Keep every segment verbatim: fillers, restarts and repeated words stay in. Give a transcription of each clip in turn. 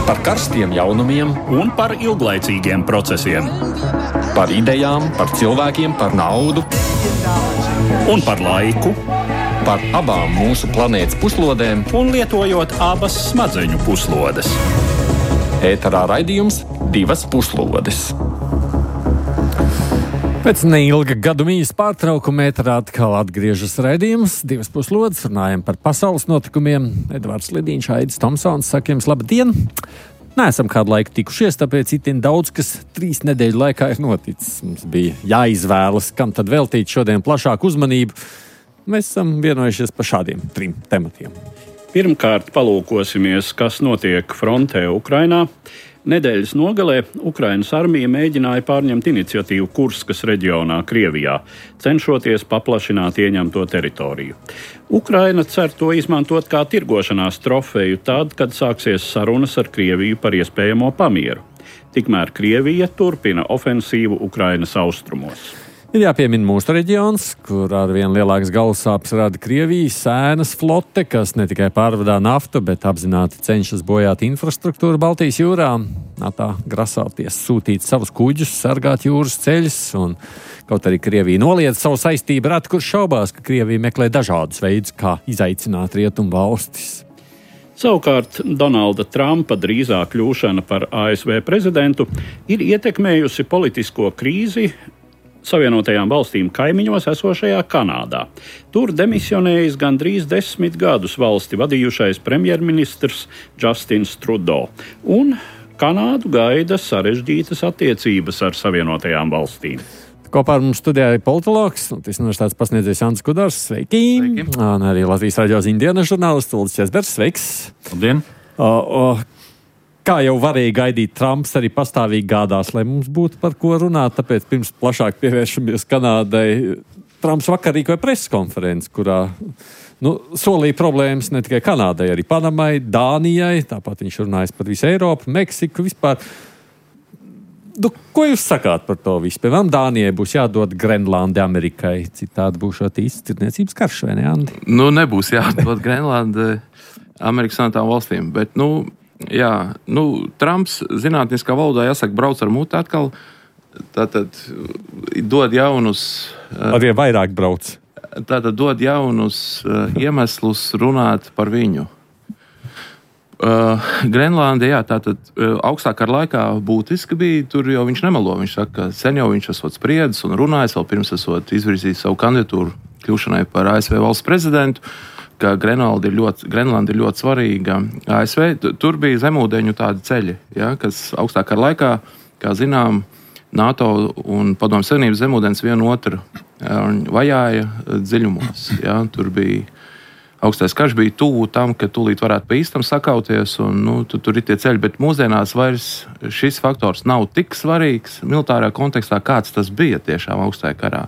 Par karstiem jaunumiem un par ilglaicīgiem procesiem. Par idejām, par cilvēkiem, par naudu un par laiku. Par abām mūsu planētas puslodēm Un lietojot abas smadzeņu puslodes. ēterā raidījums Divas puslodes. Pēc neilga gadu mīs pārtraukuma ēterā atkal atgriežas raidījums Divas puslodes. Runājam par pasaules notikumiem. Edvards Lidīņš, Aidis Tomsons, saka jums labdien! Neesam kādu laiku tikušies, tāpēc itin daudz, kas trīs nedēļu laikā ir noticis. Mums bija jāizvēlas, kam tad veltīt šodien plašāku uzmanību. Mēs esam vienojušies par šādiem trim tematiem. Pirmkārt, palūkosimies, kas notiek frontē Ukrainā. Nedēļas nogalē Ukrainas armija mēģināja pārņemt iniciatīvu Kurskas reģionā, Krievijā, cenšoties paplašināt ieņemto teritoriju. Ukraina cer to izmantot kā tirgošanās trofeju tad, kad sāksies sarunas ar Krieviju par iespējamo pamieru. Tikmēr Krievija turpina ofensīvu Ukrainas austrumos. Ir jāpiemina mūsu reģions, kur ar vien lielākas galvasāpes rada Krievijas sēnas flote, kas ne tikai pārvadā naftu, bet apzināti cenšas bojāt infrastruktūru Baltijas jūrā. Tā grasāties sūtīt savus kuģus, sargāt jūras ceļus, un kaut arī Krievija noliedz savu saistību, reti kur šaubās, ka Krievija meklē dažādus veidus, kā izaicināt rietumu valstis. Savukārt Donalda Trumpa drīzā kļūšana par A S V prezidentu ir ietekmējusi politisko krīzi Savienotajām valstīm kaimiņos esošajā Kanādā. Tur demisionējis gandrīz desmit gadus valsti vadījušais premjerministrs Justins Trudeau, un Kanādu gaida sarežģītas attiecības ar Savienotajām valstīm. Kopā ar mums studijā ir politologs, Latvijas universitātes pasniedzējs Jānis Kudars. Sveiki! Sveiki. Un arī Latvijas radio ziņdienas žurnālists Ulris Česbergs. Sveiks! Labdien! O, o, Kā jau varēja gaidīt, Trumps arī pastāvīgi gādās, lai mums būtu par ko runāt, tāpēc pirms plašāk pievēršamies Kanādai. Trumps vakar rīkoja preses konferenci, kurā nu, solīja problēmas ne tikai Kanādai, arī Panamai, Dānijai, tāpat viņš runājas par visu Eiropu, Meksiku vispār. Nu, ko jūs sakāt par to visu? Piemēram, Dānijai būs jādod Grenlandi Amerikai, citādi būšot īsts tirdzniecības karš, vai ne, Andi? Nu, nebūs jādod Grenlandi Amerikas Savienotām valstīm, bet, nu, jā, nu, Trumps zinātniskā valodā jāsaka brauc ar muti atkal, tātad dod jaunus... Arī vairāk brauc. Tātad dod jaunus uh, iemeslus runāt par viņu. Uh, Grenlanda, jā, tātad uh, augstāk ar laikā būtiski bija, tur jau viņš nemelo, viņš saka, ka sen jau viņš esot spriedzis un runājis, vēl pirms esot izvirzījis savu kandidatūru kļūšanai par A S V valsts prezidentu, ka Grenlanda ir ļoti, Grenlanda ir ļoti svarīga A S V. Tur bija zemūdeņu tādi ceļi, ja, kas augstāk ar laikā, kā zinām, NATO un Padomju Savienības zemūdens vienu otru vajāja dziļumos. Ja. Tur bija augstais karš, bija tuvu tam, ka tūlīt varētu pa īstam sakauties, un nu, tu, tur ir tie ceļi, bet mūsdienās vairs šis faktors nav tik svarīgs militārā kontekstā, kāds tas bija tiešām augstajā karā.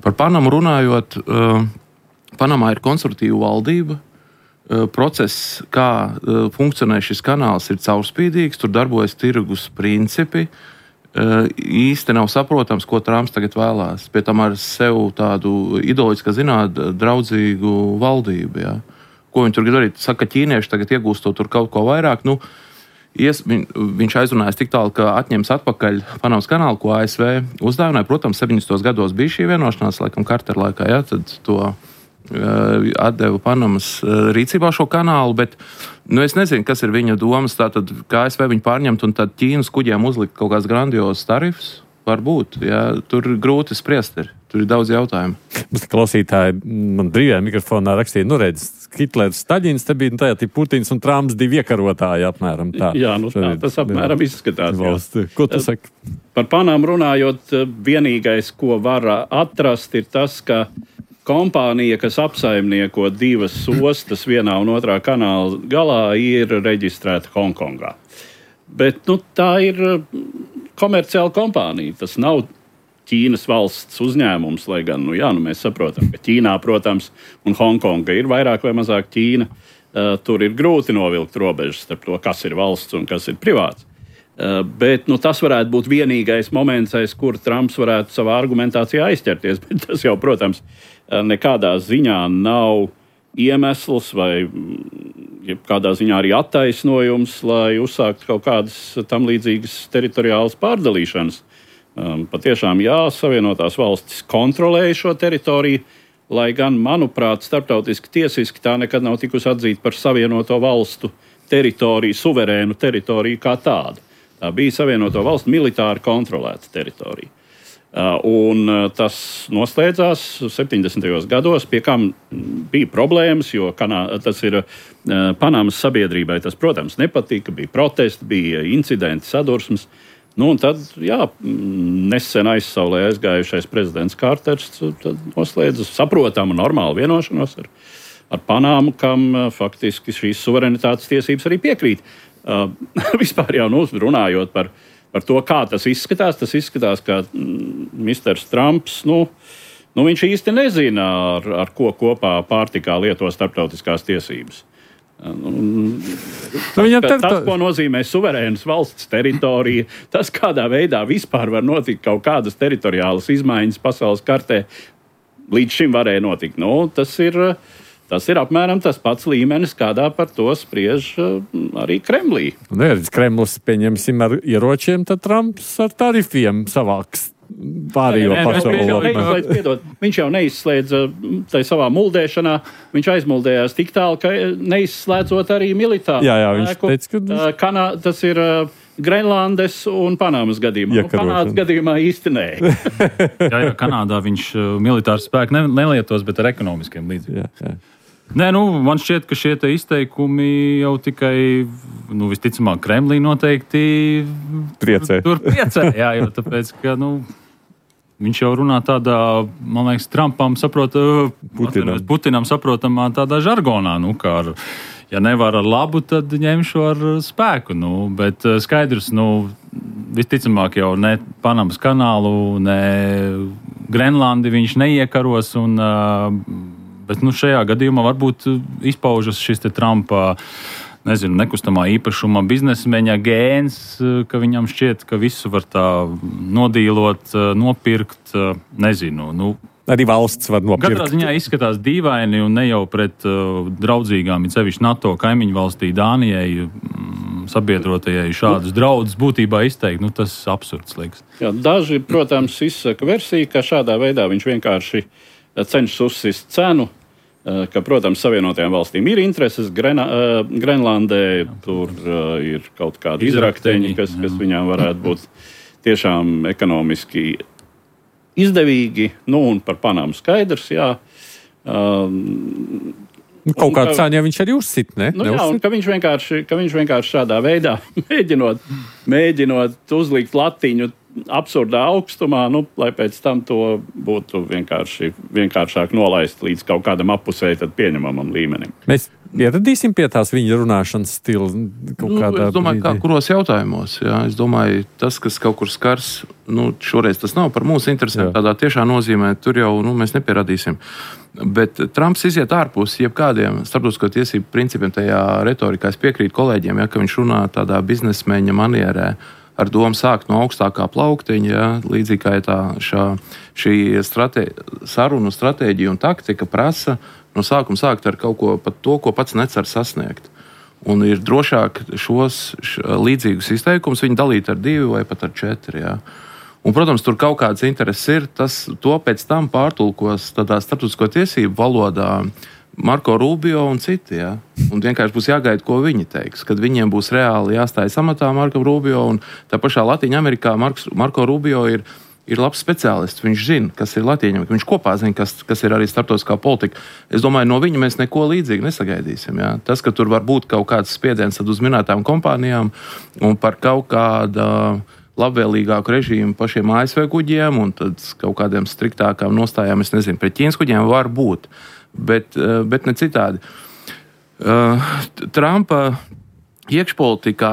Par Panamu runājot, uh, Panamā ir konservatīva valdība, process, kā funkcionē šis kanāls, ir caurspīdīgs, tur darbojas tirgus principi, īsti nav saprotams, ko Trumps tagad vēlās, pie tam ar sev tādu ideoloģiski zināt draudzīgu valdību. Ja. Ko viņi tur grib darīt? Saka, ka ķīnieši tagad iegūstot tur kaut ko vairāk, nu, ies, viņ, viņš aizrunājas tik tālu, ka atņems atpakaļ Panamas kanālu, ko A S V uzdāvināja. Protams, septiņdesmitos gados bija šī vienošanās, laikam Kartera laikā, ja, tad to atdeva Panamas rīcībā šo kanālu, bet nu, es nezinu, kas ir viņa domas, tātad kā A S V viņu pārņemt un tad Ķīnas kuģiem uzlikt kaut kāds grandios tarifs, varbūt, jā, tur grūti spriest ir, tur ir daudz jautājumu. Mums klausītāji man brīvajā mikrofonā rakstīja, nu redz, Hitlers, Staļins, te bija tajā tip Putins un Trumps divi iekarotāji apmēram tā. Jā, nu tā, tas apmēram izskatās. Valsti. Ko tu saki? Par Panamu runājot, vienīgais, ko var atrast, ir tas, ka kompānija, kas apsaimnieko divas ostas vienā un otrā kanāla galā, ir reģistrēta Hongkongā. Bet nu, tā ir komerciāla kompānija. Tas nav Ķīnas valsts uzņēmums, lai gan nu, jā, nu, mēs saprotam, ka Ķīnā, protams, un Hongkonga ir vairāk vai mazāk Ķīna. Uh, tur ir grūti novilkt robežas starp to, kas ir valsts un kas ir privāts. Uh, bet nu, tas varētu būt vienīgais moments, aiz kur Trumps varētu savā argumentācijā aizķerties. Bet tas jau, protams, nekādā ziņā nav iemesls vai kādā ziņā arī attaisnojums, lai uzsāktu kaut kādas tam līdzīgas teritoriālas pārdalīšanas. Um, patiešām, jā, Savienotās valstis kontrolēja šo teritoriju, lai gan, manuprāt, starptautiski tiesiski tā nekad nav tikusi atzīta par Savienoto valstu teritoriju, suverēnu teritoriju kā tādu. Tā bija Savienoto valstu militāri kontrolēta teritorija. Uh, un uh, tas noslēdzās septiņdesmitajos gados, pie kam bija problēmas, jo kanā, tas ir uh, Panamas sabiedrībai. Tas, protams, nepatika, bija protesti, bija incidenti, sadursmes. Nu, un tad, jā, nesen aizsaulē aizgājušais prezidents Kārters noslēdza saprotamu, normālu vienošanos ar, ar Panamu, kam uh, faktiski šīs suverenitātes tiesības arī piekrīt. Uh, vispār jau nu, runājot par Par to, kā tas izskatās, tas izskatās, ka misters Trumps, nu, nu viņš īsti nezina, ar, ar ko kopā pārtikā lieto starptautiskās tiesības. Nu, tas, ka, tas, ko nozīmē suverēnas valsts teritorija, tas, kādā veidā vispār var notikt kaut kādas teritoriālas izmaiņas pasaules kartē, līdz šim varēja notikt. Nu, tas ir... Tas ir apmēram tas pats līmenis, kādā par to spriež arī Kremlī. Neredz, Kremlis, pieņemsim, ar ieročiem, tad Trumps ar tarifiem savāks pārējo pasauli. Viņš jau neizslēdza tai savā muldēšanā, viņš aizmuldējās tik tālu, ka neizslēdzot arī militāru. Jā, jā, viņš teica, ka... Kanā, tas ir Grenlandes un Panamas gadījumā. Nu, Kanādas gadījumā īsti nē. jā, jā, Kanādā viņš militāru spēku ne, nelietos, bet ar ekonomiskiem līdzekļiem. Nē, nu, man šķiet, ka šie izteikumi jau tikai, nu, visticamāk, Kremlī noteikti priecē. Tur priecē, jā, jo tāpēc, ka, nu, viņš jau runā tādā, man liekas, Trumpam saprota, Putinam, Putinam saprotamā tādā žargonā, nu, kā ar, ja nevar ar labu, tad ņemšu ar spēku, nu, bet skaidrs, nu, visticamāk jau ne Panamas kanālu, ne Grenlandi viņš neiekaros un... Bet nu, šajā gadījumā varbūt izpaužas šis te Trumpa, nezinu, nekustamā īpašuma biznesmeņa gēns, ka viņam šķiet, ka visu var tā nodīlot, nopirkt, nezinu. Nu, arī valsts var nopirkt. Katrā ziņā izskatās dīvaini un ne jau pret uh, draudzīgām, it sevišķi NATO kaimiņu valstī Dānijai, mm, sabiedrotajai šādus draudus būtībā izteikt. Nu, tas absurds liekas. Jā, daži, protams, izsaka versiju, ka šādā veidā viņš vienkārši cenšas uzsist cenu, ka, protams, Savienotajām valstīm ir intereses Grena, Grenlandē, tur ir kaut kādi izrakteņi, kas, kas viņām varētu būt tiešām ekonomiski izdevīgi, nu un par Panamu skaidrs, jā. Um, kaut kādu cēņu viņš arī uzsit, ne? Nu, jā, un ka viņš, vienkārši, ka viņš vienkārši šādā veidā mēģinot, mēģinot uzlikt latiņu absurdā augstumā, nu, lai pēc tam to būtu vienkārši, vienkāršāk nolaist līdz kaut kādam apusēji tad pieņemamam līmenim. Mēs ieradīsim pie tās viņa runāšanas stila kaut kādā... Nu, es domāju, kā kuros jautājumos, jā. Es domāju, tas, kas kaut kur skars, nu, šoreiz tas nav par mūsu interesēm, tādā tiešā nozīmē, tur jau, nu, mēs nepieradīsim. Bet Trumps iziet ārpus jebkādiem starptautisko tiesību principiem tajā retorikā. Es piekrītu kolēģiem, ja, ka viņš runā tādā biznesmeņa manierē, ar domu sākt no augstākā plauktiņa, ja, līdzīgi kā tā šā, šī strate, sarunu stratēģija un taktika prasa no sākuma sākt ar kaut ko pat to, ko pats necer sasniegt. Un ir drošāk šos š, līdzīgus izteikumus viņi dalīt ar divi vai pat ar četri. Ja. Un, protams, tur kaut kāds intereses ir, tas to pēc tam pārtulkos tādā starptautisko tiesību valodā Marko Rubio un citi, ja? Un vienkārši būs jāgaida, ko viņi teiks, kad viņiem būs reāli jāstājas amatā Marko Rubio, un tā pašā Latīņa Amerikā Marks, Marko Rubio ir, ir labs speciālists, viņš zina, kas ir Latīņa Amerikā, viņš kopā zina, kas, kas ir arī starptautiskā politika. Es domāju, no viņa mēs neko līdzīgi nesagaidīsim, ja? Tas, ka tur var būt kaut kāds spiediens tad uz minētām kompānijām un par kaut kāda labvēlīgāku režīmu pašiem A S V kuģiem un tad kaut kādiem striktākām nostājām, es nezinu, pret Ķīnas kuģiem var būt. Bet, bet ne citādi. Trumpa iekšpolitikā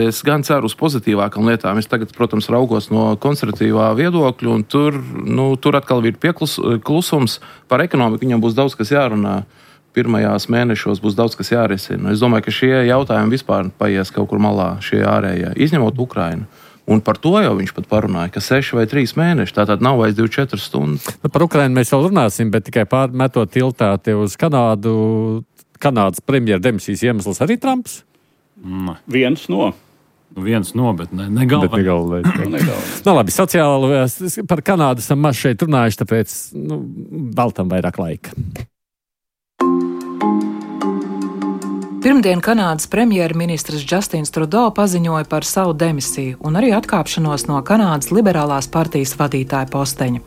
es gan ceru uz pozitīvākām lietām. Es tagad, protams, raugos no konservatīvā viedokļa, un tur, nu, tur atkal ir pieklusums par ekonomiku. Viņam būs daudz, kas jārunā. Pirmajās mēnešos būs daudz, kas jārisina. Es domāju, ka šie jautājumi vispār paies kaut kur malā, šie ārējie, izņemot Ukrainu. Un par to jau viņš pat parunāja, ka seši vai trīs mēneši, tātad nav vairs divdesmit četras stundas. Nu, par Ukrainu mēs vēl runāsim, bet tikai pārmetot tiltā te uz Kanādu, Kanādas premjera demisijas iemesls arī Trumps? Mm. Viens no. Viens no, bet ne, ne galvenais. Nu, labi, sociāli par Kanādu esam maz šeit runājuši, tāpēc nu, veltam vairāk laika. Pirmdien Kanādas premjerministrs Justins Trudeau paziņoja par savu demisiju un arī atkāpšanos no Kanādas liberālās partijas vadītāja posteņa.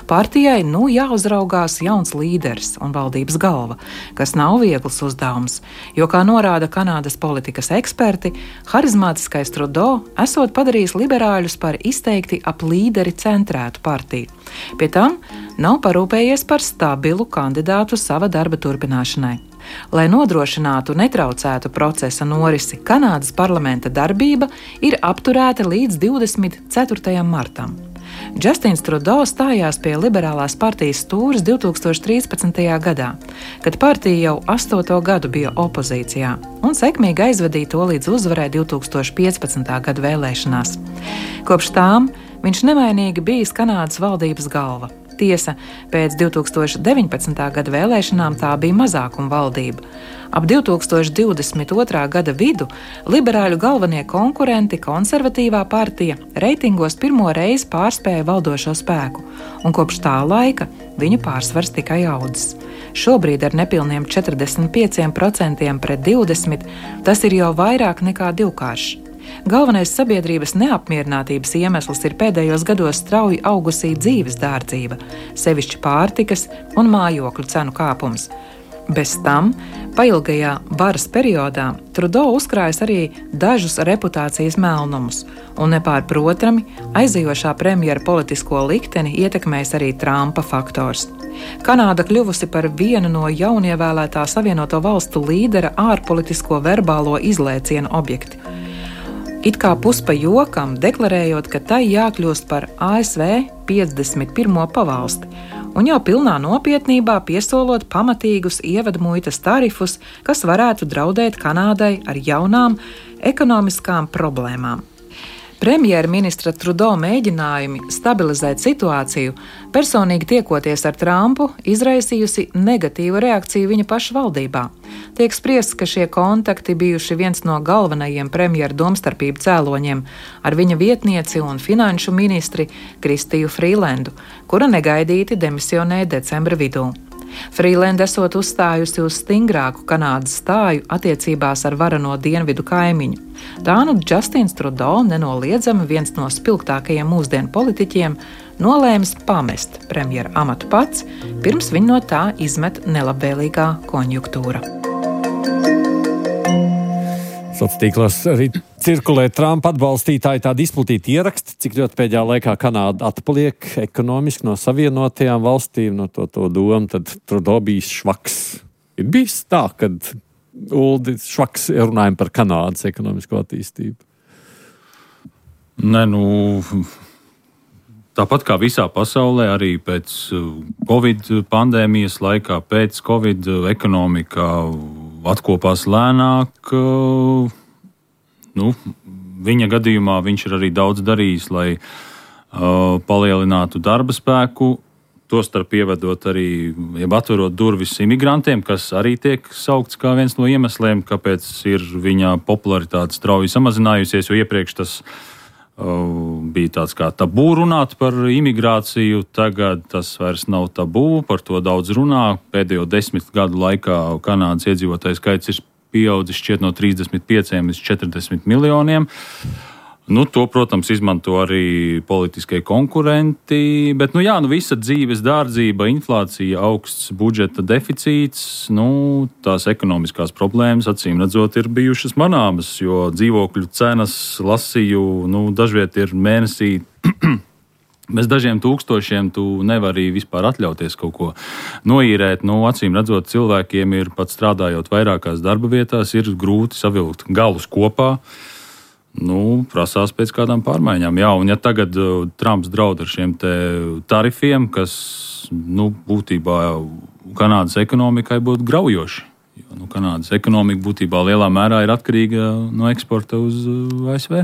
Partijai nu jāuzraugās jauns līderis un valdības galva, kas nav viegls uzdevums, jo, kā norāda Kanādas politikas eksperti, harizmātiskais Trudeau esot padarījis liberāļus par izteikti ap līderi centrētu partiju. Pie tam nav parūpējies par stabilu kandidātu sava darba turpināšanai. Lai nodrošinātu netraucētu procesa norisi, Kanādas parlamenta darbība ir apturēta līdz divdesmit ceturtajam martam. Justins Trudeau stājās pie liberālās partijas stūres divtūkstoš trīspadsmitajā gadā, kad partija jau astoto gadu bija opozīcijā un sekmīgi aizvadīja to līdz uzvarai divtūkstoš piecpadsmitā gada vēlēšanās. Kopš tām viņš nevainīgi bijis Kanādas valdības galva. Tiesa, pēc divtūkstoš deviņpadsmitā gada vēlēšanām tā bija mazākuma valdība. Ap divtūkstoš divdesmit otrā gada vidu liberāļu galvenie konkurenti, konservatīvā partija, reitingos pirmo reizi pārspēja valdošo spēku, un kopš tā laika viņu pārsvars tikai audzis. Šobrīd ar nepilniem četrdesmit pieciem procentiem pret divdesmit tas ir jau vairāk nekā divkāršs. Galvenais sabiedrības neapmierinātības iemesls ir pēdējos gados strauji augusī dzīves dārdzība, sevišķi pārtikas un mājokļu cenu kāpums. Bez tam, pailgajā varas periodā, Trudeau uzkrājas arī dažus reputācijas melnumus, un nepārprotami aizejošā premjera politisko likteni ietekmēs arī Trumpa faktors. Kanāda kļuvusi par vienu no jaunievēlētā Savienoto valstu līdera ārpolitisko verbālo izlēcienu objektu. It kā puspa jokam, deklarējot, ka tai jākļūst par A S V piecdesmit pirmo pavalsti, un jau pilnā nopietnībā piesolot pamatīgus ievadmuitas tarifus, kas varētu draudēt Kanādai ar jaunām ekonomiskām problēmām. Premjerministra Trudeau mēģinājumi stabilizēt situāciju, personīgi tiekoties ar Trumpu, izraisījusi negatīvu reakciju viņa paša valdībā. Tiek spriests, ka šie kontakti bijuši viens no galvenajiem premjera domstarpību cēloņiem ar viņa vietnieci un finanšu ministri Kristiju Frīlendu, kura negaidīti demisionēja decembra vidū. Frīlenda esot uzstājusi uz stingrāku Kanādas stāju attiecībās ar varano dienvidu kaimiņu. Tā nu Justins Trudeau, nenoliedzami viens no spilgtākajiem mūsdienu politiķiem, nolēmis pamest premjera amatu pats, pirms viņa no tā izmet nelabvēlīgā konjunktūra. Sociālos tīklos arī cirkulē Trumpa atbalstītāji tādi izplatīti ieraksti, cik ļoti pēdējā laikā Kanāda atpaliek ekonomiski no savienotajām valstīm, no to, to domu, tad Trudeau bijis švaks. Ir bijis tā, kad Uldi švaks runājam par Kanādas ekonomisko attīstību. Nē, nu, tāpat kā visā pasaulē, arī pēc Covid pandēmijas laikā, pēc Covid ekonomikā atkopās lēnāk. Nu, viņa gadījumā viņš ir arī daudz darījis, lai uh, palielinātu darba spēku, tostarp ievedot arī, jeb atverot durvis imigrantiem, kas arī tiek saukts kā viens no iemesliem, kāpēc ir viņa popularitāte strauji samazinājusies, jo iepriekš tas uh, bija tāds kā tabū runāt par imigrāciju, tagad tas vairs nav tabū, par to daudz runā. Pēdējo desmit gadu laikā Kanādas iedzīvotāju skaits ir pieaudzis šķiet no trīsdesmit pieciem līdz četrdesmit miljoniem. Nu, to, protams, izmanto arī politiskie konkurenti, bet, nu jā, nu visa dzīves dārdzība, inflācija, augsts budžeta deficīts, nu, tās ekonomiskās problēmas, acīm redzot, ir bijušas manāmas, jo dzīvokļu cenas, lasīju, nu, dažviet ir mēnesī bez dažiem tūkstošiem tu nevari vispār atļauties kaut ko noīrēt. Nu, acīm redzot, cilvēkiem ir pat strādājot vairākās darba vietās, ir grūti savilkt galus kopā. Nu, prasās pēc kādām pārmaiņām. Jā, un ja tagad uh, Trumps draud ar šiem te tarifiem, kas, nu, būtībā Kanādas ekonomikai būtu graujoši. Jo, nu, Kanādas ekonomika būtībā lielā mērā ir atkarīga no eksporta uz uh, A S V.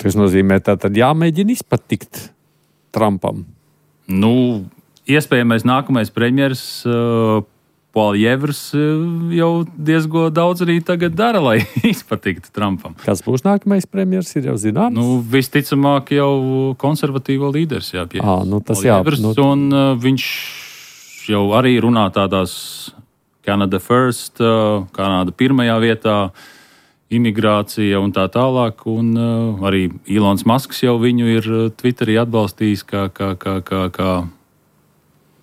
Tas nozīmē, ka tad jāmēģina izpatikt Trumpam. Nu, iespējamais nākamais premjeras uh, Poljevers jau diezgan daudz arī tagad dara, lai izpatiktu Trumpam. Kas būs nākamais premjers, ir jau zināms? Nu, visticamāk jau konservatīvo līderis, jā, pie à, nu, tas jā, nu... un uh, viņš jau arī runā tādās Canada first, uh, Kanāda pirmajā vietā, imigrācija un tā tālāk, un uh, arī Ilons Masks jau viņu ir Twitterī atbalstījis kā, kā, kā, kā, kā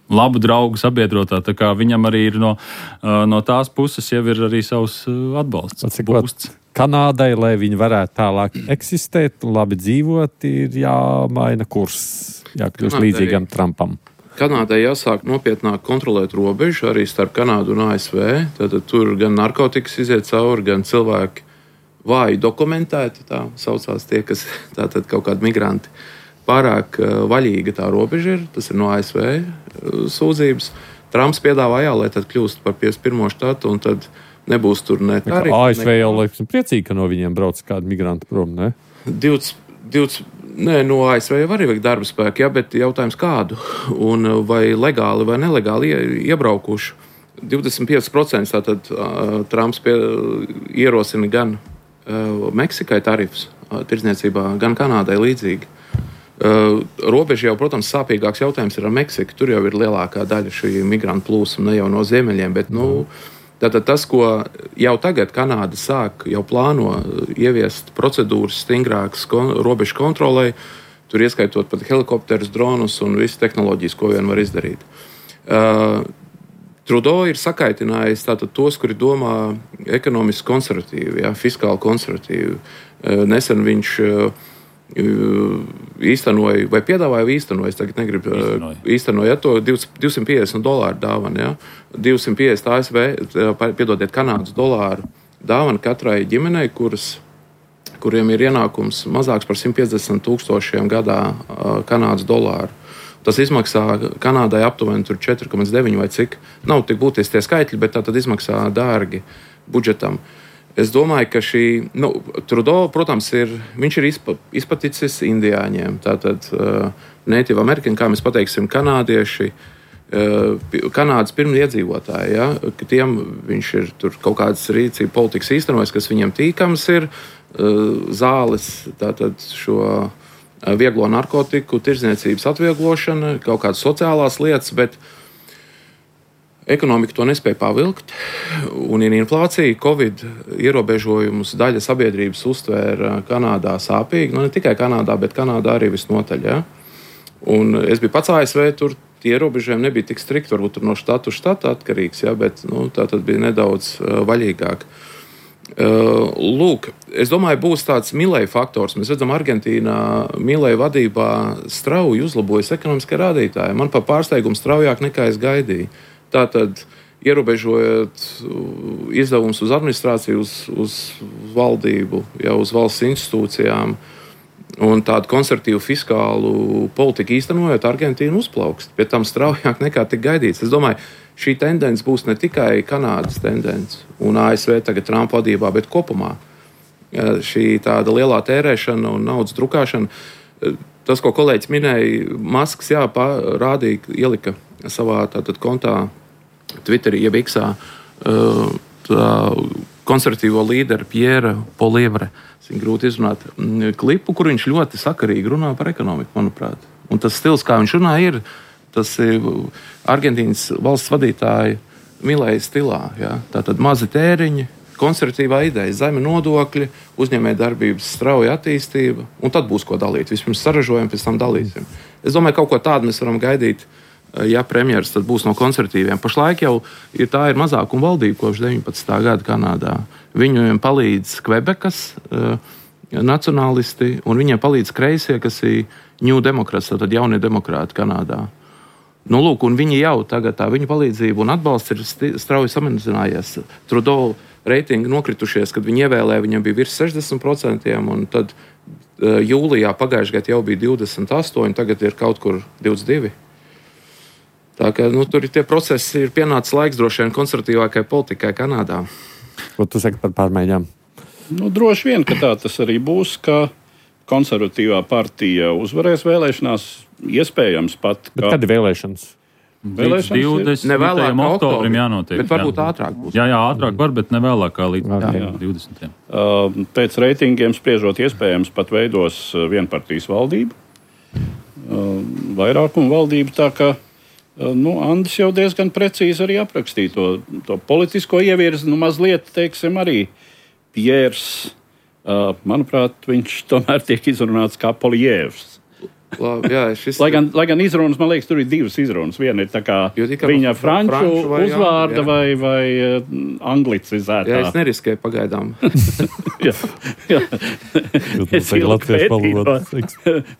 labu draugu sabiedrotā, tā kā viņam arī ir no, no tās puses jau ir arī savs atbalsts. Atcikot, Kanādai, lai viņi varētu tālāk eksistēt un labi dzīvot, ir jāmaina kurs, jākļūst līdzīgam Trumpam. Kanādai jāsāk nopietnāk kontrolēt robežu arī starp Kanādu un A S V. Tātad tur gan narkotikas iziet cauri, gan cilvēki vāji dokumentēti, tā saucās tie, kas tātad kaut kādi migranti. Pārāk vaļīga tā robeža ir, tas ir no A S V sūdzības. Trumps piedāvā, jā, lai tad kļūst par piecdesmit pirmo štatu, un tad nebūs tur ne tarifu. A S V jau laikam priecīgi, ka no viņiem brauc kādi migranti prom, ne? divdesmit, divdesmit, nē, no A S V jau arī vajag darba spēku, jā, bet jautājums kādu, un vai legāli vai nelegāli iebraukuši. divdesmit pieci procenti tātad uh, Trumps pie, ierosina gan uh, Meksikai tarifus uh, tirdzniecībā, gan Kanādai līdzīgi. Uh, robeža jau, protams, sāpīgāks jautājums ir ar Meksiku. Tur jau ir lielākā daļa šī migrantu plūsma, ne jau no ziemeļiem, bet nu, tātad tas, ko jau tagad Kanāda sāk, jau plāno ieviest procedūras stingrākas kon, robežu kontrolē, tur ieskaitot pat helikopterus, dronus un visu tehnoloģijas, ko vien var izdarīt. Uh, Trudeau ir sakaitinājis tātad tos, kuri domā ekonomiski konservatīvi, jā, fiskāli konservatīvi. Uh, nesen viņš uh, īstenoja, vai piedāvāja īstenoja, es tagad negribu īstenoja, īstenoja to divsimt piecdesmit dolāru dāvanu, ja? divsimt piecdesmit A S V, piedodiet, Kanādas dolāru dāvanu katrai ģimenei, kuras, kuriem ir ienākums mazāks par simt piecdesmit tūkstošiem gadā Kanādas dolāru. Tas izmaksā Kanādai aptuveni četri komats deviņi vai cik, nav tik būtiski tie skaitļi, bet tā tad izmaksā dārgi budžetam. Es domāju, ka šī, nu, Trudeau, protams, ir, viņš ir izpa, izpaticis indiāņiem, tātad uh, Native American, kā mēs pateiksim, kanādieši, uh, Kanādas pirmie iedzīvotāji, ja, ka tiem viņš ir tur kaut kādas rīcība politikas īstenojis, kas viņiem tīkams ir, uh, zāles, tātad šo uh, vieglo narkotiku, tirdzniecības atvieglošana, kaut kādas sociālās lietas, bet ekonomika to nespēja pavilkt, un ir inflācija, Covid ierobežojumus daļa sabiedrības uztvēra Kanādā sāpīgi, nu ne tikai Kanādā, bet Kanādā arī visnotaļ, ja? Un es biju pats A S V, tur tie ierobežojumi nebija tik strikti, varbūt tur no štatu štata atkarīgs, ja? Bet nu, tā tad bija nedaudz uh, vaļīgāk. Uh, lūk, es domāju, būs tāds Milei faktors. Mēs redzam, Argentīnā Milei vadībā strauji uzlabojas ekonomiskie rādītāji. Man par pārsteigumu straujāk nekā es gaidīju. Tātad, ierobežojot izdevumus uz administrāciju, uz, uz valdību, jau uz valsts institūcijām un tādu konservatīvu fiskālu politiku īstenojot, Argentīna uzplaukst. Pie tam straujāk nekā tik gaidīts. Es domāju, šī tendence būs ne tikai Kanādas tendence un A S V tagad Trumpa vadībā, bet kopumā. Šī tāda lielā tērēšana un naudas drukāšana. Tas, ko kolēģis minēja, Masks jā, rādīja, ielika savā tātad kontā Twitterī, jeb X-ā, konservatīvo līderi Pierre Poilievre, viņu grūti izrunāt, klipu, kur viņš ļoti sakarīgi runā par ekonomiku, manuprāt. Un tas stils, kā viņš runā, ir tas ir Argentīnas valsts vadītāja Milei stilā. Jā. Tātad mazi tēriņi, konservatīvā ideja, zemi nodokļi, uzņēmējdarbības strauja attīstība, un tad būs ko dalīt. Vispirms saražojam, pēc tam dalīsim. Es domāju, kaut ko tādu mēs varam gaidīt, ja premjeras tad būs no konservatīviem. Pašlaik jau ir tā ir mazākuma valdība kopš deviņpadsmitā gada Kanādā. Viņiem palīdz Kvebekas uh, nacionālisti, un viņiem palīdz kreisie, kas ir New Democrats, tad jaunie demokrāti Kanādā. Nu, lūk, un viņi jau tagad tā viņu palīdzību un atbalsts ir strauji samazinājies. Trudeau reitingi nokritušies, kad viņi ievēlēja, viņam bija virs sešdesmit procenti, un tad uh, jūlijā pagājušajā gadā jau bija divdesmit astoņi, tagad ir kaut kur divdesmit divi. Tā kā nu, tur ir tie procesi, ir pienācis laiks droši vien konservatīvākai politikai Kanādā. Ko tu saki par pārmaiņām? Nu, droši vien, ka tā tas arī būs, ka konservatīvā partija uzvarēs vēlēšanās, iespējams pat. Bet kad ir vēlēšanas? Vēlēšanas ne vēlāk kā oktobrim jānotiek. Bet varbūt jā. ātrāk būs. Jā, jā, ātrāk var, bet ne vēlāk kā līdz Okay. divdesmitiem. Uh, pēc reitingiem spriežot, iespējams pat veidos vienpartijas valdību, uh, vairākumu valdību, tā ka uh, nu, Andris jau diezgan precīzi arī aprakstīja to, to politisko ievirzi, nu mazliet, teiksim, arī Pjērs, uh, manuprāt, viņš tomēr tiek izrunāts kā Polijēvs. Labi, jā, šis... Lai gan, lai gan izrunas, man liekas, tur ir divas izrunas. Viena ir tā kā viņa franču, franču vai uzvārda jā. vai, vai uh, anglicizētā. Jā, es neriskēju pagaidām. jā, jā. Es ilgi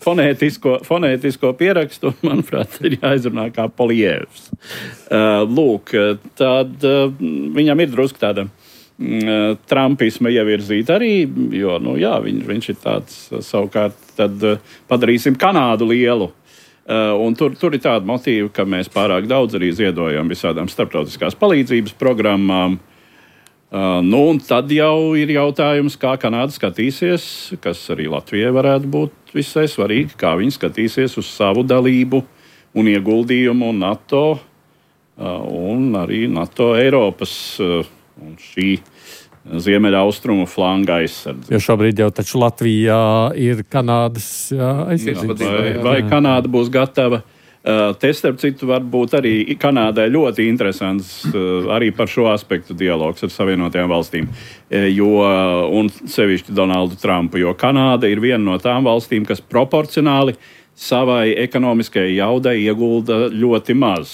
fonētisko, fonētisko pierakstu, un, manuprāt, ir jāizrunā kā Polijēvs. Uh, lūk, tad uh, viņam ir drusku tāda uh, trumpisma ievirzīta arī, jo, nu jā, viņš, viņš ir tāds uh, savukārt, tad uh, padarīsim Kanādu lielu. Uh, un tur, tur ir tāda motīva, ka mēs pārāk daudz arī ziedojam visādām starptautiskās palīdzības programmām. Uh, nu, un tad jau ir jautājums, kā Kanāda skatīsies, kas arī Latvijai varētu būt visai svarīgi, kā viņi skatīsies uz savu dalību un ieguldījumu NATO uh, un arī NATO Eiropas uh, un šī Ziemeļaustrumu flanga aizsardzība. Jo šobrīd jau taču Latvijā ir Kanādas aizsardzība. Vai, vai Kanāda būs gatava? Uh, te, starp citu, varbūt arī Kanādai ļoti interesants uh, arī par šo aspektu dialogs ar Savienotajām valstīm, uh, jo, un sevišķi Donaldu Trumpu, jo Kanāda ir viena no tām valstīm, kas proporcionāli savai ekonomiskajai jaudai iegulda ļoti maz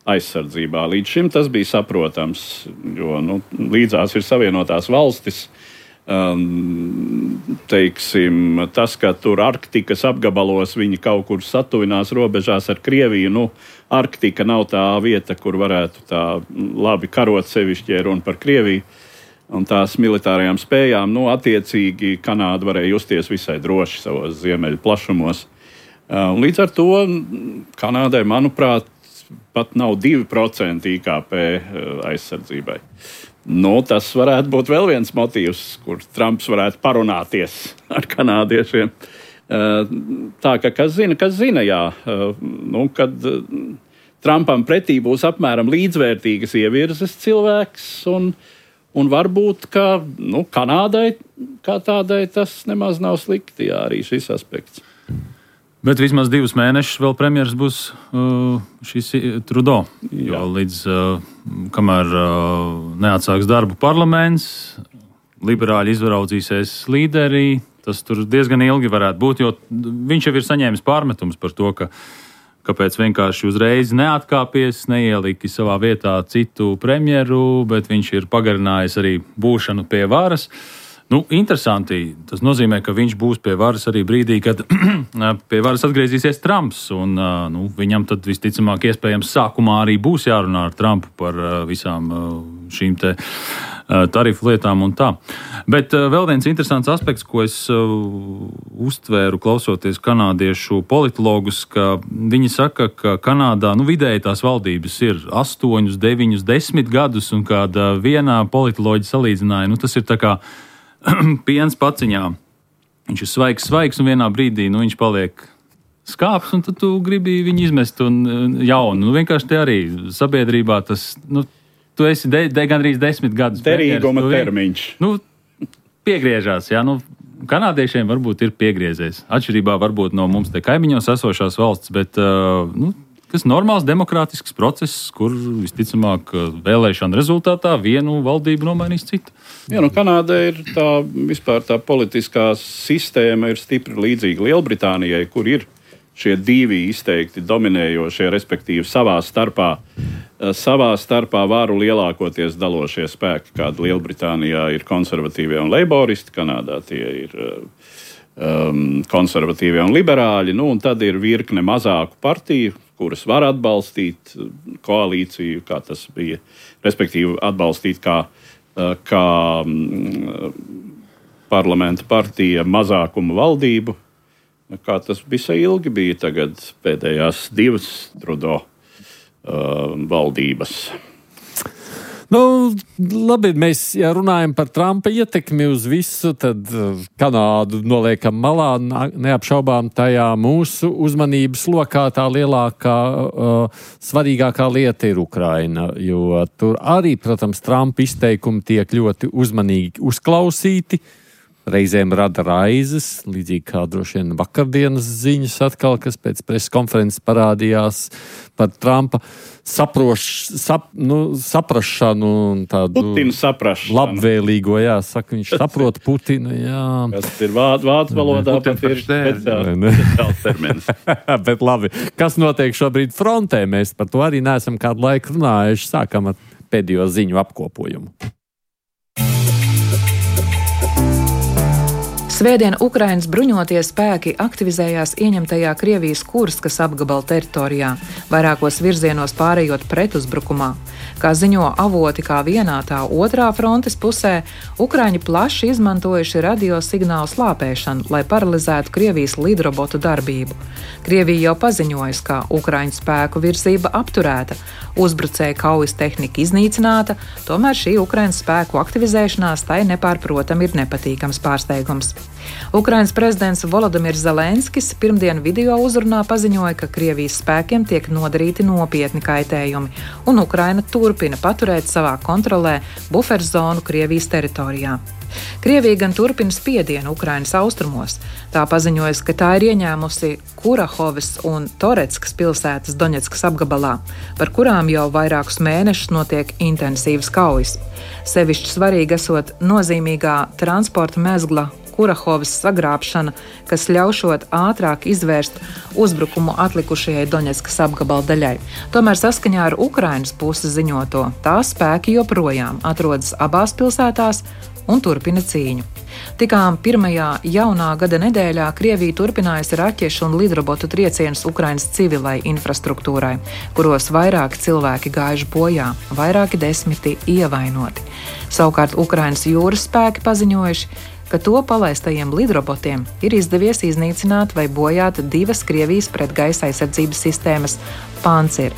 aizsardzībā. Līdz šim tas bija saprotams, jo nu, līdzās ir Savienotās valstis. Um, teiksim, tas, ka tur Arktikas apgabalos viņi kaut kur satuvinās robežās ar Krieviju, nu, Arktika nav tā vieta, kur varētu tā labi karot, sevišķi, ja runa par Krieviju un tās militārajām spējām. Nu, attiecīgi Kanāda varēja justies visai droši savos ziemeļu plašumos. Um, līdz ar to Kanādai, manuprāt, pat nav divi procenti I K P aizsardzībai. Nu, tas varētu būt vēl viens motīvs, kur Trumps varētu parunāties ar kanādiešiem. Tā ka, kas zina, kas zina, jā. Nu, kad Trumpam pretī būs apmēram līdzvērtīgas ievirzes cilvēks, un, un varbūt, ka nu, Kanādai kā tādai tas nemaz nav slikti, jā, arī šis aspekts. Bet vismaz divus mēnešus vēl premjeras būs uh, šis Trudeau. Jo līdz uh, kamēr uh, neatsāks darbu parlaments, liberāļi izraudzīsies līderī, tas tur diezgan ilgi varētu būt, jo viņš jau ir saņēmis pārmetums par to, ka kāpēc vienkārši uzreiz neatkāpies, neielika savā vietā citu premjeru, bet viņš ir pagarinājis arī būšanu pie varas. Nu, interesanti. Tas nozīmē, ka viņš būs pie varas arī brīdī, kad pie varas atgriezīsies Trumps. Un, nu, viņam tad visticamāk iespējams sākumā arī būs jārunā ar Trumpu par visām šīm te tarifu lietām un tā. Bet vēl viens interesants aspekts, ko es uztvēru klausoties kanādiešu politologus, ka viņi saka, ka Kanādā nu, vidēji tās valdības ir astoņus, deviņus, desmit gadus, un kāda vienā politoloģi salīdzināja, nu, tas ir tā kā piens paciņā. Viņš ir svaigs, svaigs, un vienā brīdī nu, viņš paliek skāps, un tad tu gribi viņu izmest un jaunu. Nu, vienkārši te arī sabiedrībā tas, nu, tu esi de, de, gandrīz desmit gadus. Derīguma termiņš. Nu, piegriežās, jā, nu, kanādiešiem varbūt ir piegriezies. Atšķirībā varbūt no mums te kaimiņos esošās valsts, bet, uh, nu, kas normāls demokrātisks process, kur visticamāk vēlēšana rezultātā vienu valdību nomainīs citu. Jā, nu Kanāda ir tā, vispār tā politiskā sistēma ir stipri līdzīga Lielbritānijai, kur ir šie divi izteikti dominējošie, respektīvi savā starpā, savā starpā varu lielākoties dalošie spēki, kāda Lielbritānijā ir konservatīvie un leiboristi, Kanādā tie ir um, konservatīvie un liberāļi, nu un tad ir virkne mazāku partiju, kuras var atbalstīt koalīciju, kā tas bija, respektīvi atbalstīt kā, kā parlamenta partija mazākuma valdību, kā tas visai ilgi bija tagad pēdējās divas Trudeau uh, valdības. Nu, labi, mēs, ja runājam par Trumpa ietekmi uz visu, tad Kanādu noliekam malā, neapšaubām tajā mūsu uzmanības lokā tā lielākā, uh, svarīgākā lieta ir Ukraina, jo tur arī, protams, Trumpa izteikumi tiek ļoti uzmanīgi uzklausīti. Reizēm rada raizes, līdzīgi kā droši vien vakardienas ziņas atkal, kas pēc preses konferences parādījās par Trumpa saproš, sap, nu, saprašanu un tādu Putina saprašanu. Labvēlīgo, jā, saka, viņš saprot Putinu, jā. Tas ir vācu vāc valodā, pat ir speciāls termins. Bet labi, kas notiek šobrīd frontē? Mēs par to arī neesam kādu laiku runājuši. Sākam ar pēdējo ziņu apkopojumu. Svētdien Ukrainas bruņotie spēki aktivizējās ieņemtajā Krievijas Kurskas apgabala teritorijā, vairākos virzienos pārējot pretuzbrukumā. Kā ziņo avoti kā vienā, tā otrā frontes pusē, Ukraiņi plaši izmantojuši radiosignālu slāpēšanu, lai paralizētu Krievijas lidrobotu darbību. Krievija jau paziņojusi, ka Ukraiņu spēku virzība apturēta, uzbrucēja kaujas tehnika iznīcināta, tomēr šī Ukraiņas spēku aktivizēšanās tai nepārprotam ir nepatīkams pārsteigums. Ukrainas prezidents Volodimirs Zelenskis pirmdien video uzrunā paziņoja, ka Krievijas spēkiem tiek nodarīti nopietni kaitējumi, un Ukraina turpina paturēt savā kontrolē buferzonu Krievijas teritorijā. Krievija gan turpina spiedienu Ukrainas austrumos. Tā paziņojas, ka tā ir ieņēmusi Kurahovas un Toretskas pilsētas Doņetskas apgabalā, par kurām jau vairākus mēnešus notiek intensīvas kaujas. Sevišķi svarīgi esot nozīmīgā transporta mezgla Kurahovas sagrābšana, kas ļaušot ātrāk izvērst uzbrukumu atlikušajai Doņetskas apgabala daļai. Tomēr saskaņā ar Ukrainas puses ziņoto, tās spēki joprojām atrodas abās pilsētās un turpina cīņu. Tikām pirmajā jaunā gada nedēļā Krievija turpinājusi raķešu un lidrobotu triecienus Ukrainas civilai infrastruktūrai, kuros vairāki cilvēki gājuši bojā, vairāki desmiti ievainoti. Savukārt Ukrainas jūras spēki paziņojuši, ka to palaistajiem lidrobotiem ir izdevies iznīcināt vai bojāt divas Krievijas pretgaisa aizsardzības sistēmas Pancir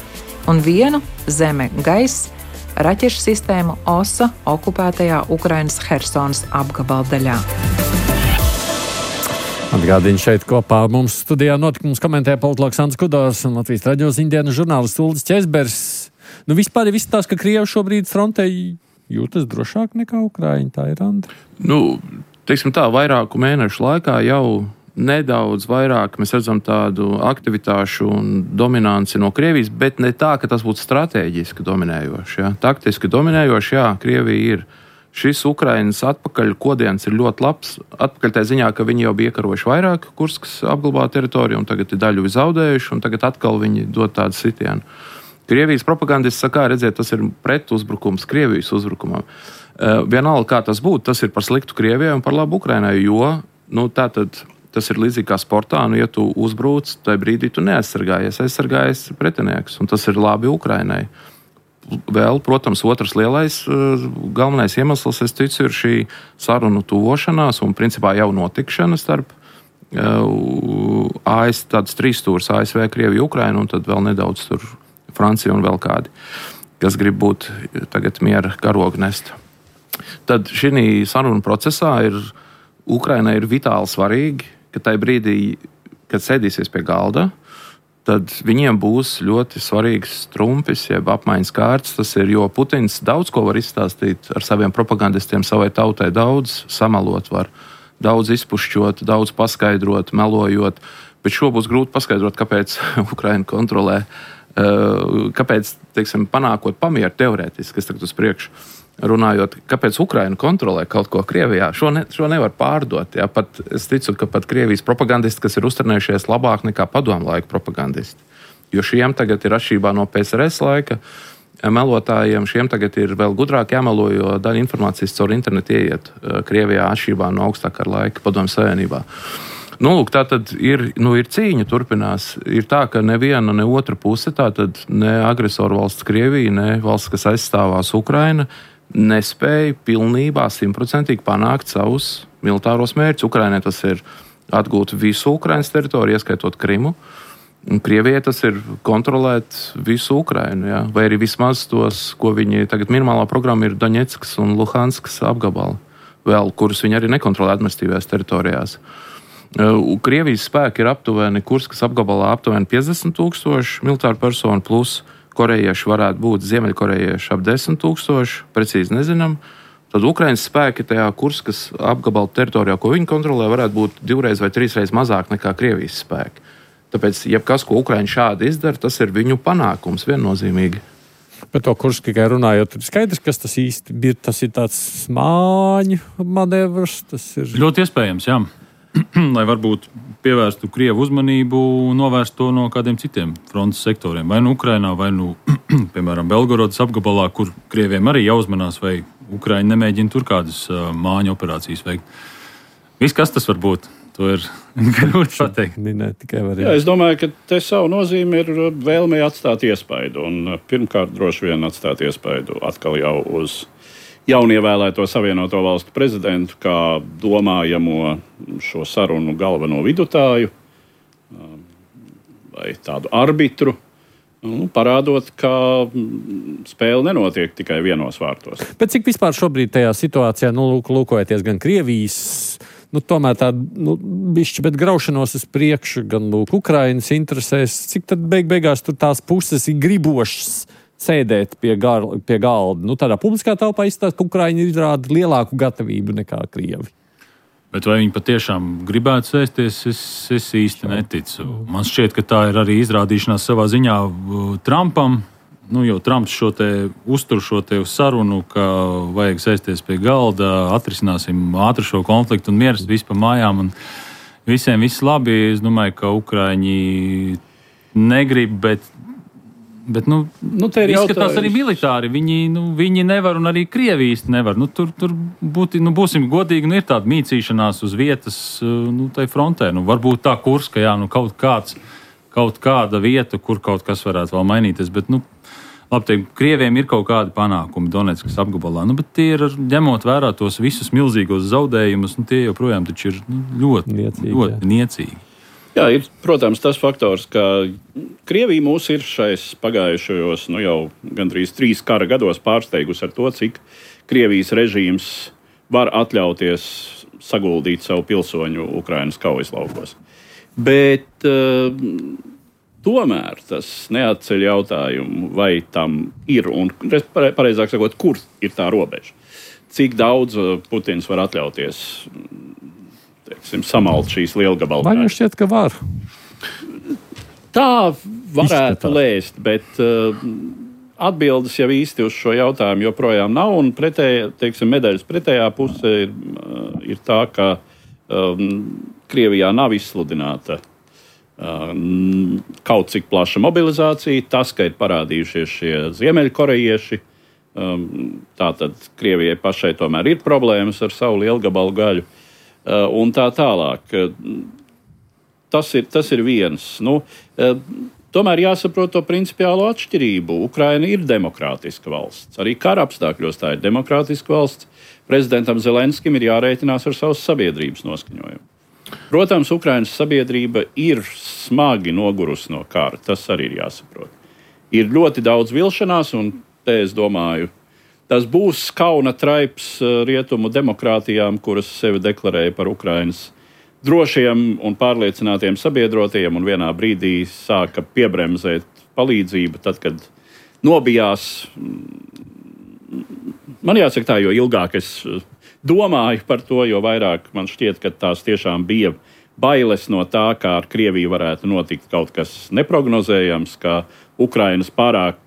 un vienu zeme-gaisa raķešu sistēmu Osa okupētajā Ukrainas Hersonas apgabala daļā. Atgādini šeit kopā ar mums studijā notikums komentē politologs Ants Kudors un Latvijas radio ziņdienas žurnālists Uldis Ķezbers. Nu vispār ir viss tās, ka Krievi šobrīd frontē jūtas drošāk nekā Ukraiņa, tā ir, Andi? Nu, teiksim tā, vairāku mēnešu laikā jau nedaudz vairāk mēs redzam tādu aktivitāšu un dominanci no Krievijas, bet ne tā, ka tas būtu strateģiski dominējoši. Ja? Taktiski dominējoši, jā, Krievija ir. Šis Ukrainas atpakaļ kodiens ir ļoti labs. Atpakaļ tā ziņā, ka viņi jau bija iekarojuši vairāk Kurskas apglabātu teritoriju, un tagad ir daļu zaudējuši, un tagad atkal viņi dod tādu sitienu. Krievijas propagandists saka, redziet, tas ir pretuzbrukums Krievijas uzbrukumam. Vienalga, kā tas būtu, tas ir par sliktu Krievijai un par labu Ukrainai, jo nu, tātad, tas ir līdzīgi kā sportā, nu, ja tu uzbrūc, tajā brīdī tu neaizsargājies, aizsargājies pretinieks, un tas ir labi Ukrainai. Vēl, protams, otrs lielais galvenais iemesls, es ticu, ir šī sarunu tuvošanās un principā jau notikšana starp A S V, tāds trīs stūrs A S V, Krievija, Ukraina, un tad vēl nedaudz tur Francija un vēl kādi, kas grib būt tagad miera karogu nest. Tad šī sarunu procesā ir Ukrainai ir vitāli svarīgi, ka tajā brīdī, kad sēdīsies pie galda, tad viņiem būs ļoti svarīgs trumpis, jeb apmaiņas kārts. Tas ir, jo Putins daudz ko var izstāstīt ar saviem propagandistiem savai tautai, daudz samalot var, daudz izpušķot, daudz paskaidrot, melojot, bet šo būs grūti paskaidrot, kāpēc Ukraina kontrolē, kāpēc, teiksim, panākot pamieru teorētiski, kas tagad uz priekšu. Runājot, kāpēc Ukraina kontrolē kaut ko Krievijā, šo, ne, šo nevar pārdot. Jā. Pat, es ticu, ka pat Krievijas propagandisti, kas ir uztrenējušies labāk nekā padomu laika propagandisti. Jo šiem tagad ir atšķirībā no P S R S laika melotājiem, šiem tagad ir vēl gudrāk jāmelo, jo daļa informācijas caur internetu ieiet Krievijā atšķirībā no augstākā laika padomu savienībā. Nu, lūk, tā tad ir, nu, ir cīņa turpinās. Ir tā, ka neviena, ne otra puse, tā tad ne agresoru valsts Krievija, ne valsts, kas aizstāvās Ukraina, nespēja pilnībā, simtprocentīgi panākt savus militāros mērķus. Ukrainai tas ir atgūt visu Ukrainas teritoriju, ieskaitot Krimu. Un Krievijai tas ir kontrolēt visu Ukrainu, jā. Vai arī vismaz tos, ko viņi tagad minimālā programma ir Doņetskas un Luhanskas apgabali, vēl, kurus viņi arī nekontrolē administratīvajās teritorijās. Krievijas spēki ir aptuveni Kurskas apgabalā aptuveni piecdesmit tūkstoši militāru personu, plus korejieši varētu būt ziemeļkorejieši ap desmit tūkstoši, precīzi nezinām. Tad Ukrainas spēki tajā Kurskas apgabala teritorijā, ko viņi kontrolē, varētu būt divreiz vai trīsreiz mazāk nekā Krievijas spēki. Tāpēc, jebkas, ko Ukraiņi šādi izdara, tas ir viņu panākums viennozīmīgi. Par to Kursku tikai runājot, ir skaidrs, kas tas īsti ir. Tas ir tāds smāņu manevrs. Tas ir ļoti iespējams, jā. Lai varbūt pievērstu Krievu uzmanību un novērstu to no kādiem citiem frontes sektoriem. Vai nu Ukrainā, vai nu, piemēram, Belgorodas apgabalā, kur Krieviem arī jāuzmanās, vai Ukraiņi nemēģina tur kādas uh, māņu operācijas veikt. Viss, kas tas var būt? To ir grūti pateikt. Jā, es domāju, ka te savu nozīmi ir vēlme atstāt iespaidu. Un pirmkārt, droši vien atstāt iespaidu atkal jau uz jaunievēlēto Savienoto Valstu prezidentu, kā domājamo šo sarunu galveno vidutāju vai tādu arbitru, nu, parādot, ka spēle nenotiek tikai vienos vārtos. Bet cik vispār šobrīd tajā situācijā, nu, lūkojoties gan Krievijas, nu, tomēr tāda, nu, bišķi, bet graušanos uz priekšu, gan, lūk, Ukrainas interesēs, cik tad beig beigās tur tās puses ir gribošas sēdēt pie, gar, pie galda? Nu, tādā publiskā telpā izstāst, ka Ukraiņi izrāda lielāku gatavību nekā Krievi. Bet vai viņi patiešām gribētu sēsties, es, es īsti neticu. Man šķiet, ka tā ir arī izrādīšanās savā ziņā Trumpam. Nu, jo Trumps šo te uztur šo te sarunu, ka vajag sēsties pie galda, atrisināsim ātri šo konfliktu un mieras visu pa mājām. Un visiem viss labi. Es domāju, ka Ukraiņi negrib, bet, bet nu, nu, izskatās arī militāri. Viņi, nu, viņi nevar un arī Krievi īsti nevar. Nu, tur tur būti, nu, būsim godīgi, nu, ir tāda mīcīšanās uz vietas, nu, tai frontē. Nu, varbūt tā Kurska, jā, nu, kaut kāds, kaut kāda vieta, kur kaut kas varētu vēl mainīties, bet, nu, labi teikt, Krieviem ir kaut kādi panākumi Donetskas apgabalā, nu, bet tie ir, ņemot vērā tos visus milzīgos zaudējumus, nu, tie joprojām taču ir nu, ļoti, niecīgi, ļoti jā. niecīgi. Jā, ir, protams, tas faktors, ka Krievija mūs ir šais pagājušajos, nu, jau gandrīz trīs kara gados pārsteigusi ar to, cik Krievijas režīms var atļauties saguldīt savu pilsoņu Ukrainas kaujas laukos. Bet uh, tomēr tas neatceļ jautājumu, vai tam ir, un pareizāk sakot, kur ir tā robeža. Cik daudz Putins var atļauties, teiksim, samalt šīs lielgabalu. Man šķiet, ka var. Tā varētu lēst, bet uh, atbildes jau īsti uz šo jautājumu joprojām nav, un pretēja, teiksim, medaļas pretējā puse ir, uh, ir tā, ka um, Krievijā nav izsludināta kaut cik plaša mobilizācija, tas, ka ir parādījušies šie ziemeļkorejieši, tātad Krievijai pašai tomēr ir problēmas ar savu lielgabalu gaļu un tā tālāk. Tas ir, tas ir viens. Nu, tomēr jāsaprot to principiālo atšķirību. Ukraina ir demokrātiska valsts. Arī kara apstākļos tā ir demokrātiska valsts. Prezidentam Zelenskim ir jārēķinās ar savas sabiedrības noskaņojumu. Protams, Ukrainas sabiedrība ir smagi nogurusi no kara. Tas arī ir jāsaprot. Ir ļoti daudz vilšanās, un te es domāju, tas būs kauna traips rietumu demokrātijām, kuras sevi deklarēja par Ukrainas drošiem un pārliecinātiem sabiedrotiem, un vienā brīdī sāka piebremzēt palīdzību, tad, kad nobijās. Man jāsaka tā, jo ilgāk es domāju par to, jo vairāk man šķiet, ka tās tiešām bija bailes no tā, kā ar Krieviju varētu notikt kaut kas neprognozējams, ka Ukrainas pārāk,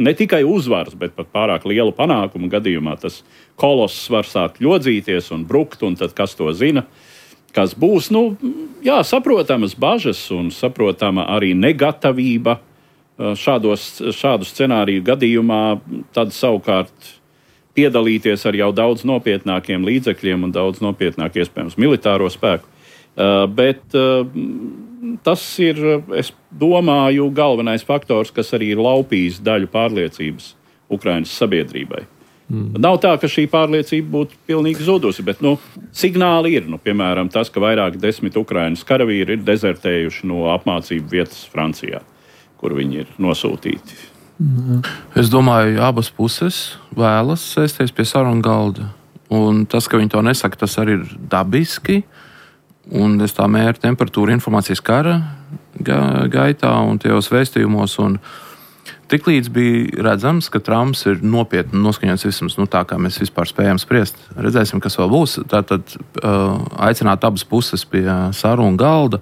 ne tikai uzvaras, bet pat pārāk lielu panākumu gadījumā tas koloss var sākt ļodzīties un brukt, un tad kas to zina, kas būs. Nu, jā, saprotamas bažas un saprotama arī negatavība šādos, šādu scenāriju gadījumā, tad savukārt piedalīties ar jau daudz nopietnākiem līdzekļiem un daudz nopietnāk iespējams militāro spēku. Uh, bet uh, tas ir, es domāju, galvenais faktors, kas arī ir laupījis daļu pārliecības Ukrainas sabiedrībai. Mm. Nav tā, ka šī pārliecība būtu pilnīgi zudusi, bet nu, signāli ir. Nu, piemēram, tas, ka vairāk desmit Ukrainas karavīri ir dezertējuši no apmācību vietas Francijā, kur viņi ir nosūtīti. Mm. Es domāju, abas puses vēlas sēsties pie sarunu galda. Un tas, ka viņi to nesaka, tas arī ir dabiski. Un es tā mēru temperatūru informācijas kara ga- gaitā un tajos vēstījumos. Un tiklīdz bija redzams, ka Trumps ir nopietni noskaņots vismaz nu, tā, kā mēs vispār spējam spriest. Redzēsim, kas vēl būs. Tātad uh, aicināt abas puses pie sarunu galda.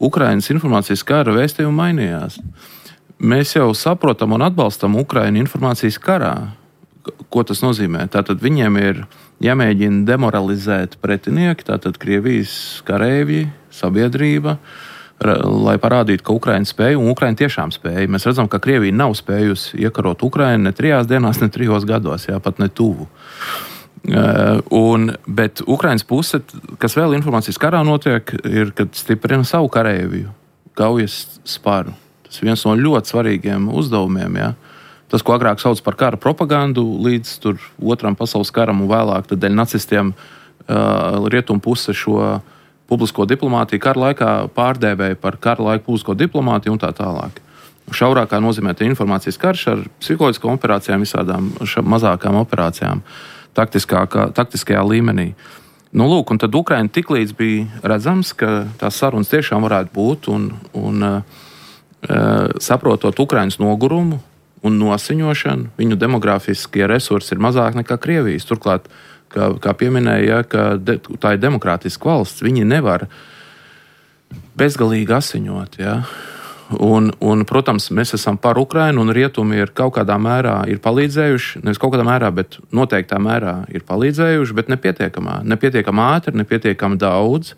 Ukrainas informācijas kara vēstījumi mainījās. Mēs jau saprotam un atbalstam Ukrainu informācijas karā. Ko tas nozīmē? Tātad viņiem ir jāmēģina demoralizēt pretinieki, tātad Krievijas kareivji, sabiedrība, lai parādītu, ka Ukraina spēja, un Ukraina tiešām spēja. Mēs redzam, ka Krievija nav spējusi iekarot Ukrainu ne trijās dienās, ne trijos gados, jā, pat ne tuvu. Un, bet Ukrainas puse, kas vēl informācijas karā notiek, ir, kad stiprina savu kareivju kaujas sparu. Tas ir viens no ļoti svarīgiem uzdevumiem, jā. Tas, ko agrāk sauc par kara propagandu, līdz tur otram pasaules karam un vēlāk, tad dēļ nacistiem uh, rietumu puse šo publisko diplomātiju kara laikā pārdēvēja par kara laika publisko diplomātiju un tā tālāk. Šaurākā nozīmē te informācijas karš ar psiholoģiskām operācijām, visādām mazākām operācijām, taktiskajā līmenī. Nu, lūk, un tad Ukraina tiklīdz bija redzams, ka tās sarunas tiešām varētu būt un, un uh, saprotot Ukrainas nogurumu, un nosiņošanu, viņu demografiskie resursi ir mazāk nekā Krievijas. Turklāt, kā, kā pieminēja, ka de, tā ir demokrātiska valsts, viņi nevar bezgalīgi asiņot. Ja? Un, un, protams, mēs esam par Ukrainu, un rietumi ir kaut kādā mērā ir palīdzējuši, nevis kaut kādā mērā, bet noteiktā mērā ir palīdzējuši, bet nepietiekamā, nepietiekam ātri, nepietiekam daudz.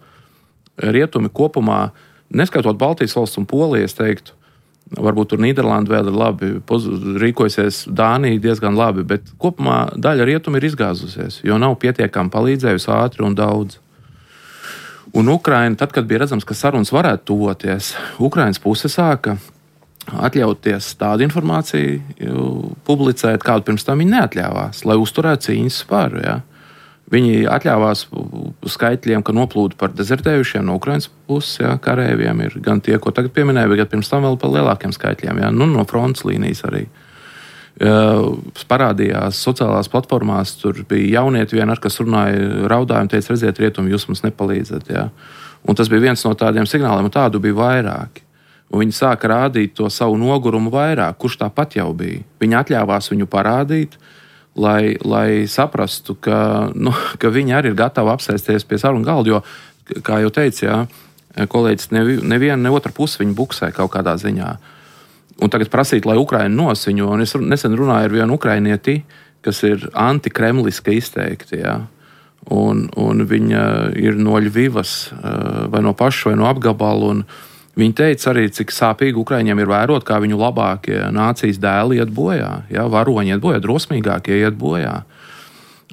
Rietumi kopumā, neskatot Baltijas valsts un Poliju, es teiktu, varbūt tur Nīderlanda vēl ir labi, rīkojasies Dānija diezgan labi, bet kopumā daļa rietumu ir izgāzusies, jo nav pietiekami palīdzējusi ātri un daudz. Un Ukraina, tad, kad bija redzams, ka sarunas varētu tuvoties, Ukrainas puse sāka atļauties tādu informāciju publicēt, kādu pirms tam viņi neatļāvās, lai uzturētu cīņas spāru. Ja? Viņi atļāvās skaitļiem, ka noplūda par dezertējušiem no Ukrainas puses, ja, karēviem ir gan tie, ko tagad pieminēja, bet pirms tam vēl par lielākiem skaitļiem, ja, nu, no frontes līnijas arī. Uh, parādījās sociālās platformās, tur bija jaunieti vienar, kas runāja, raudāja un teica, redziet, rietumi, jūs mums nepalīdzat. Ja. Un tas bija viens no tādiem signāliem, un tādu bija vairāki. Un viņi sāka rādīt to savu nogurumu vairāk, kurš tāpat jau bija. Viņi atļāvās viņu parādīt, Lai, lai saprastu, ka, nu, ka viņi arī ir gatavi apsēsties pie sarunu galda, jo, kā jau teicu, jā, kolēģis, neviena, ne otra puse viņu buksē kaut kādā ziņā. Un tagad prasīt, lai Ukraina nosiņo, un es nesen runāju ar vienu ukrainieti, kas ir antikremliski izteikti, jā. Un, un viņa ir no Ļvivas, vai no paša, vai no apgabalu, un viņi teica arī, cik sāpīgi Ukraiņiem ir vērot, kā viņu labākie nācijas dēli iet bojā. Ja, varoņi iet bojā, drosmīgākie iet bojā.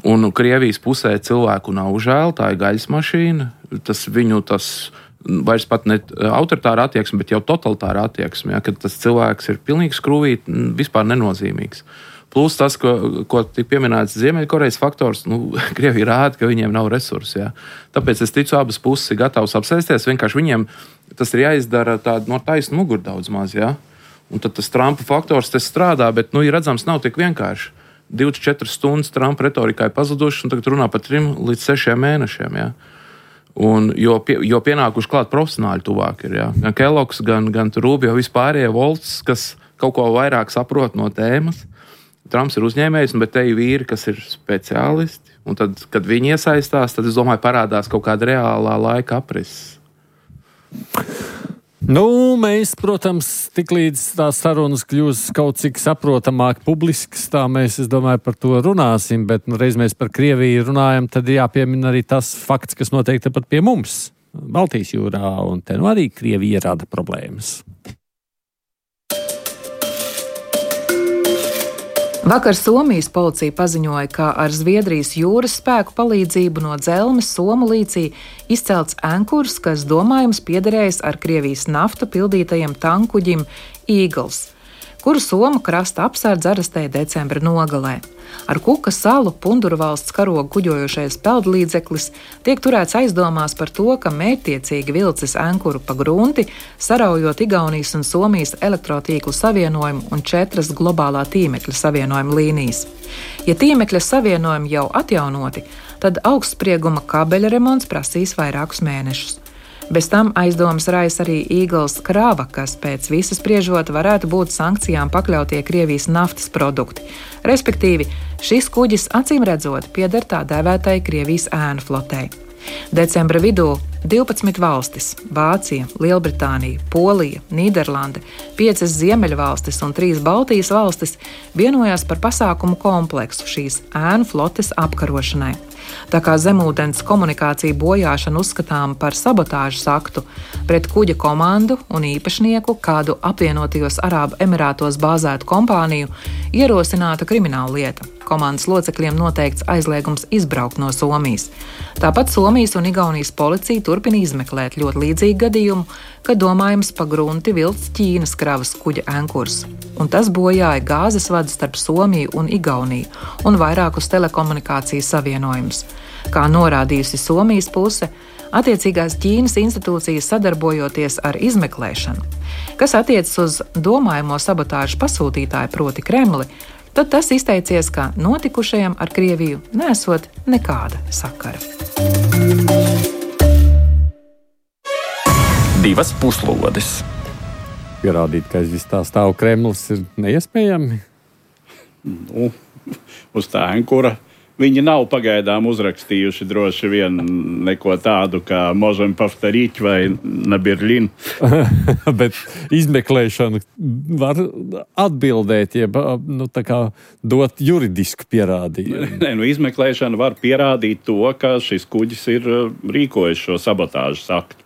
Un Krievijas pusē cilvēku nav žēl, tā ir gaļas mašīna. Tas viņu tas vairs pat ne autoritāra attieksme, bet jau totalitāra attieksme. Ja, kad tas cilvēks ir pilnīgi skrūvīt, vispār nenozīmīgs. Plus tas, ko, ko tik pieminēts Ziemeļkorejas faktors, nu, Krievija rāda, ka viņiem nav resursi. Ja. Tāpēc es ticu, abas puses ir gatavas apsēsties, vienkārši viņiem tas ir jāizdara tādu no taisnu muguru daudz maz. Ja. Un tad tas Trumpa faktors tas strādā, bet, nu, ir redzams, nav tik vienkārši. divdesmit četras stundas Trumpa retorikā ir pazudušas, un tagad runā par trim līdz sešiem mēnešiem. Ja. Un, jo, pie, jo pienākuši klāt profesionāļi tuvāk ir. Ja. Gan Kellogs, gan, gan Rubio, vispārējie Volts, kas kaut ko vairāk saprot no tēmas. Trumps ir uzņēmējs, bet te ir vīri, kas ir speciālisti. Un tad, kad viņi iesaistās, tad, es domāju, parādās kaut kāda reālā laika aprises. Nu, mēs, protams, tiklīdz tās sarunas kļūs kaut cik saprotamāk publisks, tā mēs, es domāju, par to runāsim, bet nu, reiz mēs par Krieviju runājam, tad jāpiemina arī tas fakts, kas notiek tepat pie mums, Baltijas jūrā, un te nu arī Krievija rada problēmas. Vakar Somijas policija paziņoja, ka ar Zviedrijas jūras spēku palīdzību no Dzelmes Somu līcī izcelts ankurs, kas domājams piederējis ar Krievijas naftu pildītajam tankuģim Eagles. kuru Somu krasta apsardze arestēja decembra nogalē. Ar Kuka salu Punduru valsts karogu kuģojošais peldlīdzeklis tiek turēts aizdomās par to, ka mērķtiecīgi vilcis ankuru pa grunti, saraujot Igaunijas un Somijas elektrotīklu savienojumu un četras globālā tīmekļa savienojuma līnijas. Ja tīmekļa savienojumi jau atjaunoti, tad augstsprieguma kabeļa remonts prasīs vairākus mēnešus. Bez tam aizdomas raisa arī Eagles krāva, kas pēc visas spriežot varētu būt sankcijām pakļautie Krievijas naftas produkti. Respektīvi, šis kuģis acīm redzot pieder tā dēvētai Krievijas ēnu flotei. Decembra vidū divpadsmit valstis – Vācija, Lielbritānija, Polija, Nīderlande, piecas Ziemeļvalstis un trīs Baltijas valstis vienojās par pasākumu kompleksu šīs ēnu flotes apkarošanai. Tā kā zemūdens komunikācija bojāšana uzskatām par sabotāžas aktu, pret kuģa komandu un īpašnieku kādu apvienotajos Arābu Emirātos bāzētu kompāniju ierosināta krimināla lieta. Komandas locekļiem noteikts aizliegums izbraukt no Somijas. Tāpat Somijas un Igaunijas policija turpina izmeklēt ļoti līdzīgu gadījumu, kad domājams pa grunti vilcis Ķīnas kravas kuģa ankurs. Un tas bojāja gāzes vadu starp Somiju un Igauniju un vairākus telekomunikācijas savienojumus. Kā norādījusi Somijas puse, attiecīgās Ķīnas institūcijas sadarbojoties ar izmeklēšanu, kas attiecas uz domājamo sabotāžu pasūtītāju proti Kremli, tad tas izteicies, ka notikušajam ar Krieviju nesot nekāda sakara. Divas puslodes. Pierādīt, ka aiz vis tā stāv Kremlis, ir neiespējami? Nu, uz tā ankura viņi nav pagaidām uzrakstījuši droši vien neko tādu kā Možem Pavtarīt vai Nabirlin. Bet izmeklēšana var atbildēt, jeb nu, tā kā dot juridisku pierādījumu. Nē, nu, izmeklēšana var pierādīt to, ka šis kuģis ir rīkojis šo sabotāžas aktu.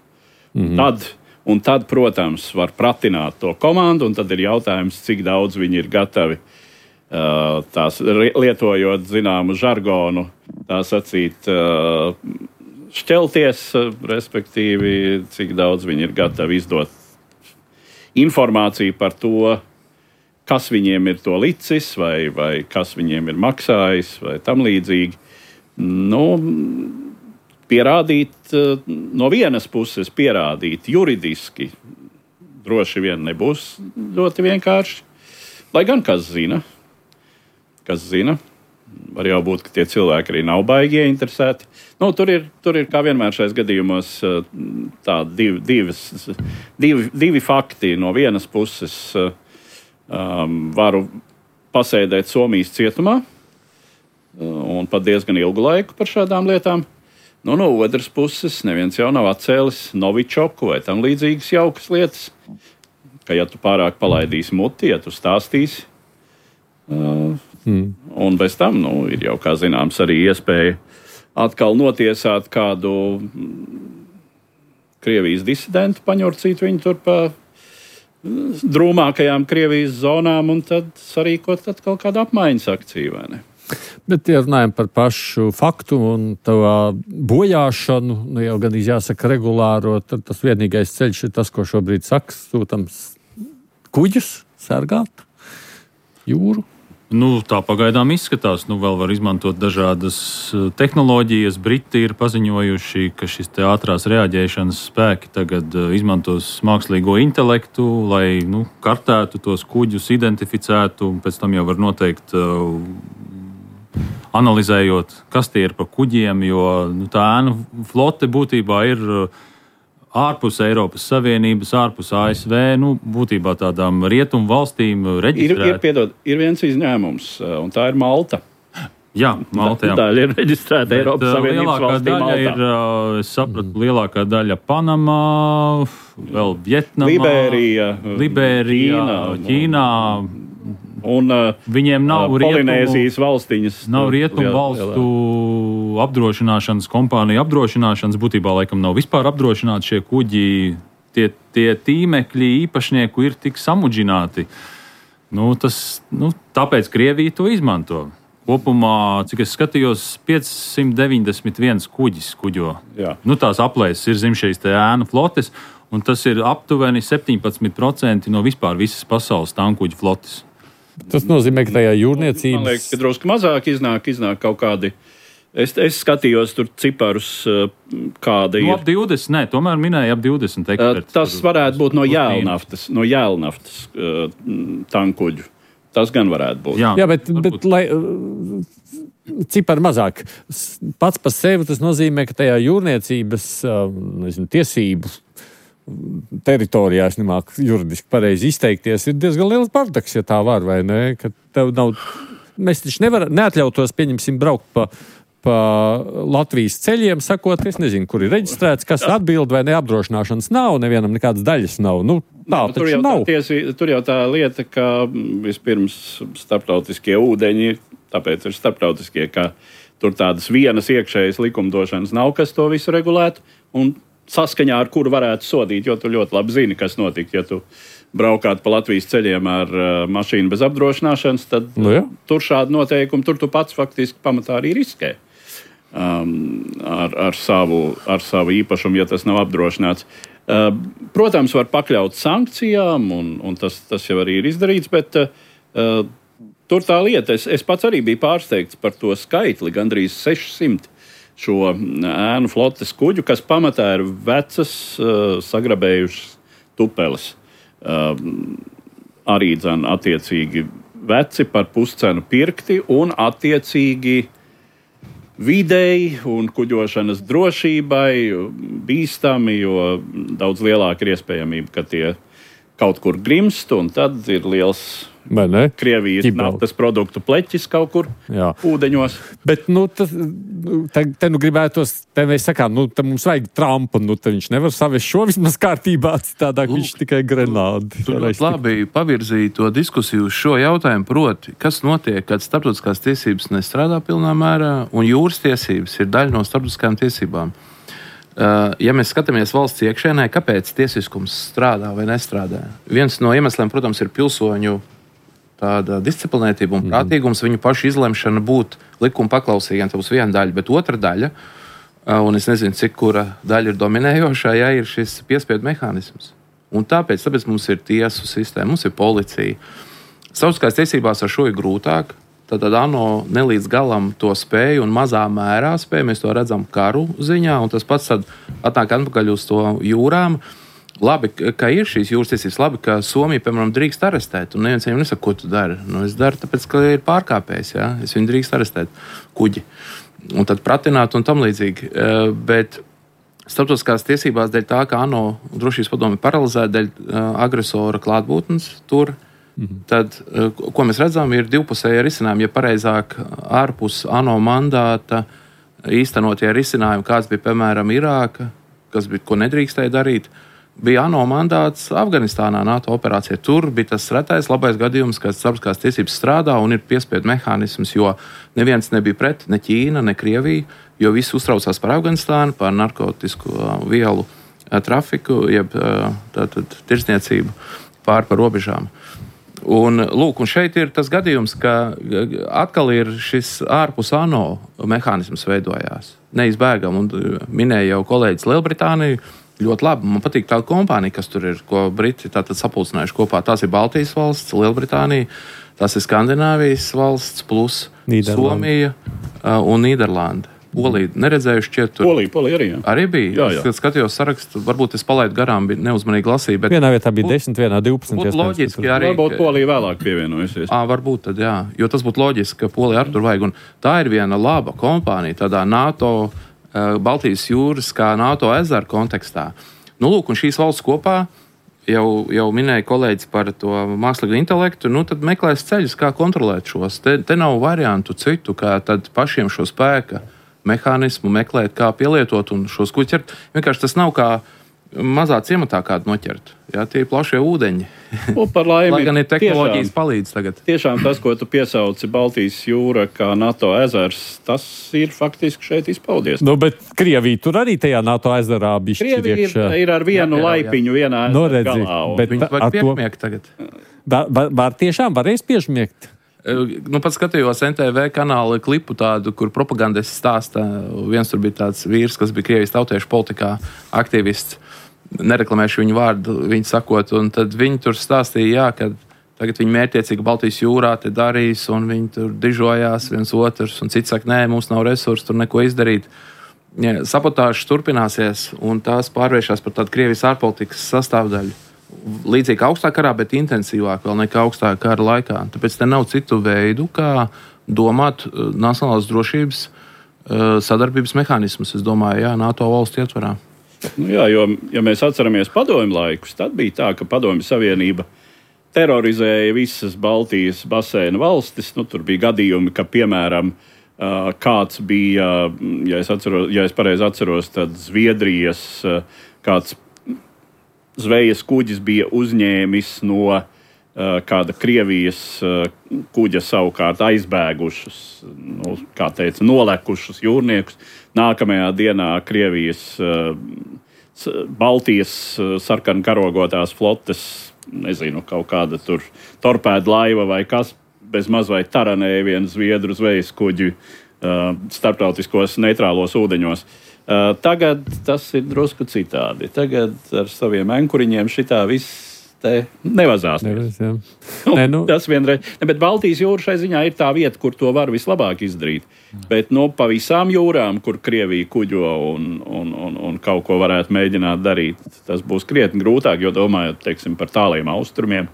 Mm-hmm. Tad, un tad, protams, var pratināt to komandu, un tad ir jautājums, cik daudz viņi ir gatavi tās lietojot zināmu žargonu, tā sacīt, šķelties, respektīvi, cik daudz viņi ir gatavi izdot informāciju par to, kas viņiem ir to licis, vai, vai kas viņiem ir maksājis, vai tam līdzīgi. Nu, pierādīt, no vienas puses pierādīt juridiski, droši vien nebūs ļoti vienkārši, lai gan kas zina. Kas zina, var jau būt, ka tie cilvēki arī nav baigi ieinteresēti. Nu, tur ir, tur ir, kā vienmēr šais gadījumos, tā div, divas, divi, divi fakti. No vienas puses um, varu pasēdēt Somijas cietumā un pat diezgan ilgu laiku par šādām lietām. Nu, no otras puses, neviens jau nav atcēlis Novičoku vai tam līdzīgas jaukas lietas, ka ja tu pārāk palaidīsi muti, ja tu stāstīsi, uh, Hmm. Un bez tam, nu, ir jau, kā zināms, arī iespēja atkal notiesāt kādu Krievijas disidentu, paņurcīt viņu tur pa drūmākajām Krievijas zonām un tad sarīkot atkal kādu apmaiņas akciju, vai ne? Bet, ja runājam par pašu faktu un tā bojāšanu, nu jau gan jāsaka regulāro, tad tas vienīgais ceļš ir tas, ko šobrīd saka, sūtams kuģus sargāt jūru. Nu, tā pagaidām izskatās. Nu, vēl var izmantot dažādas tehnoloģijas. Briti ir paziņojuši, ka šis te ātrās reaģēšanas spēki tagad izmantos mākslīgo intelektu, lai nu, kartētu tos kuģus, identificētu, un pēc tam jau var noteikt, uh, analizējot, kas tie ir pa kuģiem, jo nu, tā ēnu flote būtībā ir uh, ārpus Eiropas Savienības, ārpus A S V, nu, būtībā tādām rietumu valstīm reģistrēta. Ir, ir, piedod, ir viens izņēmums, un tā ir Malta. Jā, Malta, jā. Tā ir reģistrēta Eiropas Savienības valstī Maltā. Ir, es sapratu, mm. lielākā daļa Panamā, vēl Vietnamā, Liberija, Liberija Ķīna, Ķīnā. Un uh, viņiem nav Polinēzijas valstiņas. Nav rietumu valstu apdrošināšanas kompānija apdrošināšanas. Būtībā laikam nav vispār apdrošināti šie kuģi. Tie, tie tīmekļi īpašnieku ir tik samudžināti. Nu, tas, nu, tāpēc Krievija to izmanto. Kopumā, cik es skatījos, piecsimt deviņdesmit viens kuģis kuģo. Jā. Nu, tās aplēses ir zem šīs ēnu flotes. un tas ir aptuveni septiņpadsmit procenti no vispār visas pasaules tankuģu flotes. Tas nozīmē, ka tajā jūrniecības... Man liekas, ka drusku mazāk iznāk, iznāk kaut kādi... Es, es skatījos tur ciparus, kāda ir... No ap divdesmit, nē, tomēr minēja ap divdesmit eksperti. Tas varētu būt no jēlnaftas, no jēlnaftas uh, tankuģu. Tas gan varētu būt. Jā, Jā bet, bet lai... Cipari mazāk. Pats par sevi tas nozīmē, ka tajā jūrniecības nezinu, tiesību teritorijā, es nemāku juridiski pareizi izteikties, ir diezgan liels bardaks, ja tā var, vai ne? Ka tev nav... Mēs taču nevar, neatļautos, pieņemsim, braukt pa, pa Latvijas ceļiem, sakot, es nezinu, kur ir reģistrēts, kas atbild vai ne, apdrošināšanas nav, nevienam nekādas daļas nav. Nu, tā nu, taču nav. Tiesi, tur jau tā lieta, ka vispirms starptautiskie ūdeņi, tāpēc ir starptautiskie, ka tur tādas vienas iekšējas likumdošanas nav, kas to visu regulētu, un saskaņā ar kuru varētu sodīt, jo tu ļoti labi zini, kas notika, ja tu braukāt pa Latvijas ceļiem ar uh, mašīnu bez apdrošināšanas, tad nu, ja. tur šādi noteikumi, tur tu pats faktiski pamatā arī riskē um, ar, ar, savu, ar savu īpašumu, ja tas nav apdrošināts. Uh, protams, var pakļaut sankcijām, un, un tas, tas jau arī ir izdarīts, bet uh, tur tā lieta, es, es pats arī biju pārsteigts par to skaitli, gandrīz sešsimt šo ēnu flotes kuģu, kas pamatā ir vecas, uh, sagrabējušas tupeles. Uh, arī dzan attiecīgi veci par puscenu pirkti un attiecīgi videi un kuģošanas drošībai bīstami, jo daudz lielāka ir iespējamība, ka tie kaut kur grimst, un tad ir liels Krievijas naftas produktu pleķis kaut kur Jā. ūdeņos. Bet, nu, tas, te, te nu gribētos, te mēs sakām, nu, te mums vajag Trumpu, nu, te viņš nevar savest šo vismaz kārtībā, citādāk viņš tikai Grenādi. Tur labi pavirzīja to diskusiju uz šo jautājumu, proti, kas notiek, kad starptautiskās tiesības nestrādā pilnā mērā, un jūras tiesības ir daļa no starptautiskajām tiesībām. Uh, ja mēs skatāmies valsts iekšēnē, kāpēc tiesiskums strādā vai nestrādā? Viens no iemesliem, protams, ir pilsoņu tāda disciplinētība un prātīgums, viņu pašu izlemšana būt likuma paklausīgiem, tā būs viena daļa, bet otra daļa, un es nezinu, cik kura daļa ir dominējošā, ja ir šis piespiedu mehānisms. Un tāpēc, tāpēc mums ir tiesu sistēma, mums ir policija. Starptautiskās tiesībās ar šo ir grūtāk, tad ANO nelīdz galam to spēju un mazā mērā spēju, mēs to redzam karu ziņā, un tas pats tad atnāk atpakaļ uz to jūrām. Labi, ka ir šīs jūras tiesības, labi, ka Somija, piemēram, drīkst arestēt, un neviens viņam nesaka, ko tu dari. Nu, es daru, tāpēc, ka ir pārkāpējs, ja? Es viņu drīkst arestēt kuģi, un tad pratināt un tam līdzīgi. Bet starptautiskās tiesībās dēļ tā, ka ANO drošības padomi paralizēta dēļ agresora klātbūtnes tur, mhm. tad, ko mēs redzam, ir divpusēji risinājumi, ja pareizāk ārpus ANO mandāta īstenotie risinājumi, kāds bija, piemēram, Irāka, kas bija, ko nedrīkstēja darīt, bija ANO mandāts Afganistānā NATO operācijā. Tur bija tas retais labais gadījums, kad starptautiskās tiesības strādā un ir piespiedu mehānisms, jo neviens nebija pret, ne Ķīna, ne Krievija, jo visi uztraucās par Afganistānu, par narkotisku vielu trafiku, jeb tātad tirdzniecību pār par robežām. Un, lūk, un šeit ir tas gadījums, ka atkal ir šis ārpus ANO mehānisms veidojās. Neizbēgam, un minēja jau kolēģis Lielbritāniju, ļoti labi. Man patīk tā kompānija, kas tur ir, ko Briti tātad sapulcinājuši kopā. Tās ir Baltijas valsts, Lielbritānija, tās ir Skandināvijas valsts, plus Somija uh, un Nīderlanda. Polija neredzējuši šķiet tur. Polija, Polija arī, jā. Arī bija. Jā, jā. Es skatījos sarakstu, varbūt es palaidu garām, bija neuzmanīgi lasīju. Bet vienā vietā bija desmit, vienā divpadsmit. Būtu loģiski arī. Varbūt Polija vēlāk pievienojusies. Ā, varbūt tad, jā. Jo tas būtu loģiski, ka Polija ar tur vajag. Un tā ir viena laba kompānija tādā NATO Baltijas jūras kā NATO ezeru kontekstā. Nu, lūk, un šīs valsts kopā, jau, jau minēja kolēģis par to mākslīgo intelektu, nu, tad meklēs ceļus, kā kontrolēt šos. Te, te nav variantu citu, kā tad pašiem šo spēka mehānismu meklēt, kā pielietot un šos kuģus ķert. Vienkārši tas nav kā mazā ciematā kādu noķert. Jā, tie ir plašie ūdeņi. O, par laimi, lai gan ir tehnoloģijas tiešām, palīdz tagad. Tiešām tas, ko tu piesauci Baltijas jūra kā NATO ezers, tas ir faktiski šeit izpaudies. Nu, bet Krievija tur arī tajā NATO ezerā bišķi Krievija ir, ir ar vienu jā, jā, laipiņu jā. vienā no, ezera galā. Un... Bet viņi var piešmiegt tagad. Var, var, var tiešām varēs piešmiegt? Nu, pat skatījos N T V kanāla klipu tādu, kur propagandists stāsta. Viens tur bija tāds vīrs, kas bija Krievijas tautiešu politikā aktīvists. nereklamēšu viņu vārdu, viņu sakot, un tad viņi tur stāstīja, jā, ka tagad viņi mērķiecīgi Baltijas jūrā te darīs, un viņi tur dižojās viens otrs, un cits saka, nē, mums nav resursu tur neko izdarīt. Ja, sabotāžas turpināsies, un tās pārvēršās par tādu Krievijas ārpolitikas sastāvdaļu. Līdzīgi augstā karā, bet intensīvāk vēl nekā augstā kara laikā. Tāpēc te nav citu veidu, kā domāt nacionālās drošības sadarbības mehānismus, es domāju, jā, NATO valstu ietvarā. Nu jā, jo, ja mēs atceramies padomju laikus, tad bija tā, ka Padomju Savienība terorizēja visas Baltijas baseina valstis. Nu, tur bija gadījumi, ka, piemēram, kāds bija, ja es, atceros, ja es pareizi atceros, tad Zviedrijas kāds zvejas kuģis bija uzņēmis no kāda Krievijas kuģa savukārt aizbēgušus, nu, kā teica, nolekušus jūrniekus. Nākamajā dienā Krievijas Baltijas sarkanu karogotās flotes, nezinu, kaut kāda tur torpēda laiva vai kas, bez maz vai taranēja vienu zviedru zvejas kuģi starptautiskos neitrālos ūdeņos. Tagad tas ir drusku citādi. Tagad ar saviem enkuriņiem šitā viss te nevazās. Nevis, jā. Nu, Nē, nu. Tas vienreiz. Ne, bet Baltijas jūra šai ziņā ir tā vieta, kur to var vislabāk izdarīt. Bet no pa visām jūrām, kur Krievija kuģo un, un, un, un kaut ko varētu mēģināt darīt, tas būs krietni grūtāk, jo domājot, teiksim, par tāliem austrumiem,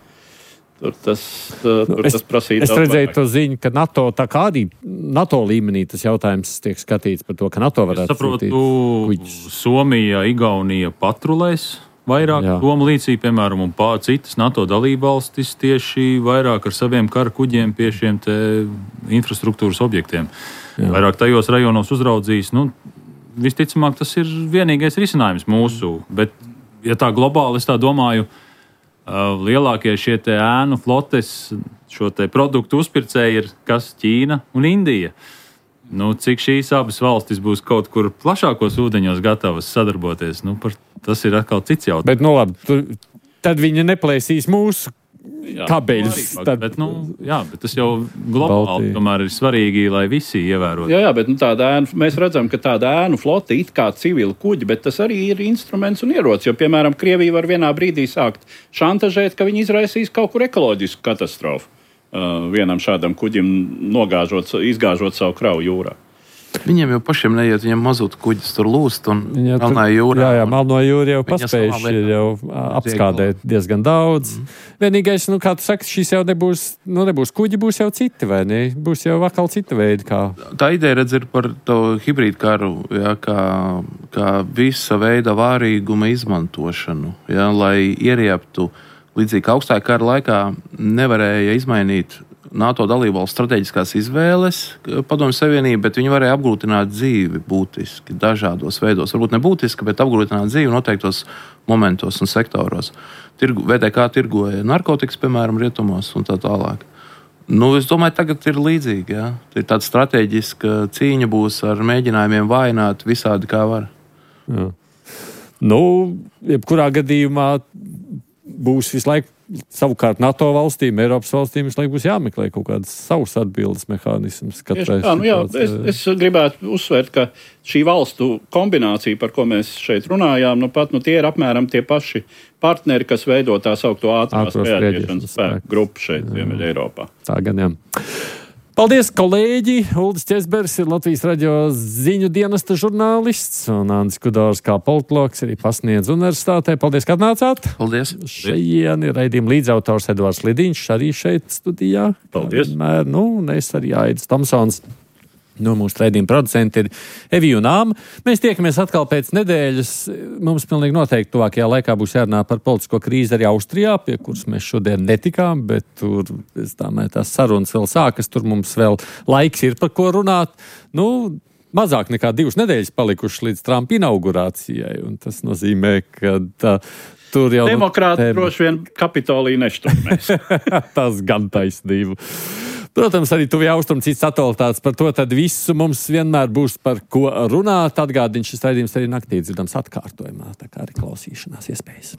tur tas, tur nu, es, tas prasīja. Es redzēju to ziņu, ka NATO, tā kā arī NATO līmenī tas jautājums tiek skatīts par to, ka NATO varētu sūtīt kuģus. Somija, Igaunija patrulēs vairāk domu līdzīgi, piemēram, un pār citas NATO dalībvalstis tieši vairāk ar saviem kara kuģiem pie šiem te infrastruktūras objektiem. Jā. Vairāk tajos rajonos uzraudzīs. Nu, visticamāk, tas ir vienīgais risinājums mūsu, bet, ja tā globāli, es tā domāju, lielākie šie te ēnu flotes, šo te produktu uzpircēji ir kas Ķīna un Indija. Nu, cik šīs abas valstis būs kaut kur plašākos ūdeņos gatavas sadarboties, nu, par, tas ir atkal cits jautājums. Bet, nu labi, tu, tad viņi neplēsīs mūsu jā, kabeļus. Tad... Bet, nu, jā, bet tas jau globāli tomēr ir svarīgi, lai visi ievērotu. Jā, jā, bet nu, tāda ēnu, mēs redzam, ka tāda ēnu flote it kā civila kuģi, bet tas arī ir instruments un ierocis, jo, piemēram, Krievija var vienā brīdī sākt šantažēt, ka viņi izraisīs kaut kur ekoloģisku katastrofu. Uh, vienam šādam kuģim nogāžot, izgāžot savu kravu jūrā. Viņiem jau pašiem neiet, viņiem mazutu kuģis tur lūst un Melnā jūrā. Jā, jā, Melno jūra jau paspējuši ir jau apskādēt diezgan daudz. Mm. Vienīgais, nu, kā tu saki, šīs jau nebūs, nu, nebūs kuģi, būs jau citi, vai ne? Būs jau atkal cita veida, kā... Tā ideja, redz, ir par to hibrīdu karu, jā, kā, kā visa veida vārīguma izmantošanu, jā, lai ierieptu. Līdzīgi augstākā kara laikā nevarēja izmainīt NATO dalībvalstu strateģiskās izvēles Padomju Savienība, bet viņi varēja apgrūtināt dzīvi būtiski dažādos veidos. Varbūt ne būtiski, bet apgrūtināt dzīvi noteiktos momentos un sektoros. Tirgu, V T K tirgoja narkotikas, piemēram, rietumos un tā tālāk. Nu, es domāju, tagad ir līdzīgi. Jā. Ir tāda strateģiska cīņa būs ar mēģinājumiem vājināt visādi kā var. Jā. Nu, jebkurā gadījumā būs visu laiku, savukārt NATO valstīm, Eiropas valstīm visu laiku būs jāmeklē kaut kādas savas atbildes mehānismus. Tā, nu jā, es, es gribētu uzsvērt, ka šī valstu kombinācija, par ko mēs šeit runājām, nu pat nu tie ir apmēram tie paši partneri, kas veido tā saukto ātrās reaģēšanas spēku grupu šeit Ziemeļa Eiropā. Tā gan jā. Paldies, kolēģi! Uldis Česbergs ir Latvijas radio ziņu dienesta žurnālists un Andris Kudors kā politologs arī pasniedz universitātē. Paldies, ka atnācāt! Paldies! Šajien ir raidījuma līdzautors Edvards Lidiņš, arī šeit studijā. Paldies! Vienmēr, nu, un es arī Aidis Tomsons. Nu, mūsu raidījuma producenti ir Evija un Āma. Mēs tiekamies atkal pēc nedēļas. Mums pilnīgi noteikti tuvākajā laikā būs jārunā par politisko krīzi arī Austrijā, pie kuras mēs šodien netikām, bet tur, es domāju, tās sarunas vēl sākas, tur mums vēl laiks ir par ko runāt. Nu, mazāk nekā divas nedēļas palikušas līdz Trumpa inaugurācijai, un tas nozīmē, ka tā, tur jau... Demokrāti nu, droši vien Kapitoliju nešturmēs. Tas gan taisnība. Protams, arī tuvie austrumi cits aktualitātes par to, tad visu mums vienmēr būs par ko runāt. Atgādini, šis raidījums arī naktī dzirdams atkārtojumā, tā kā arī klausīšanās iespējas.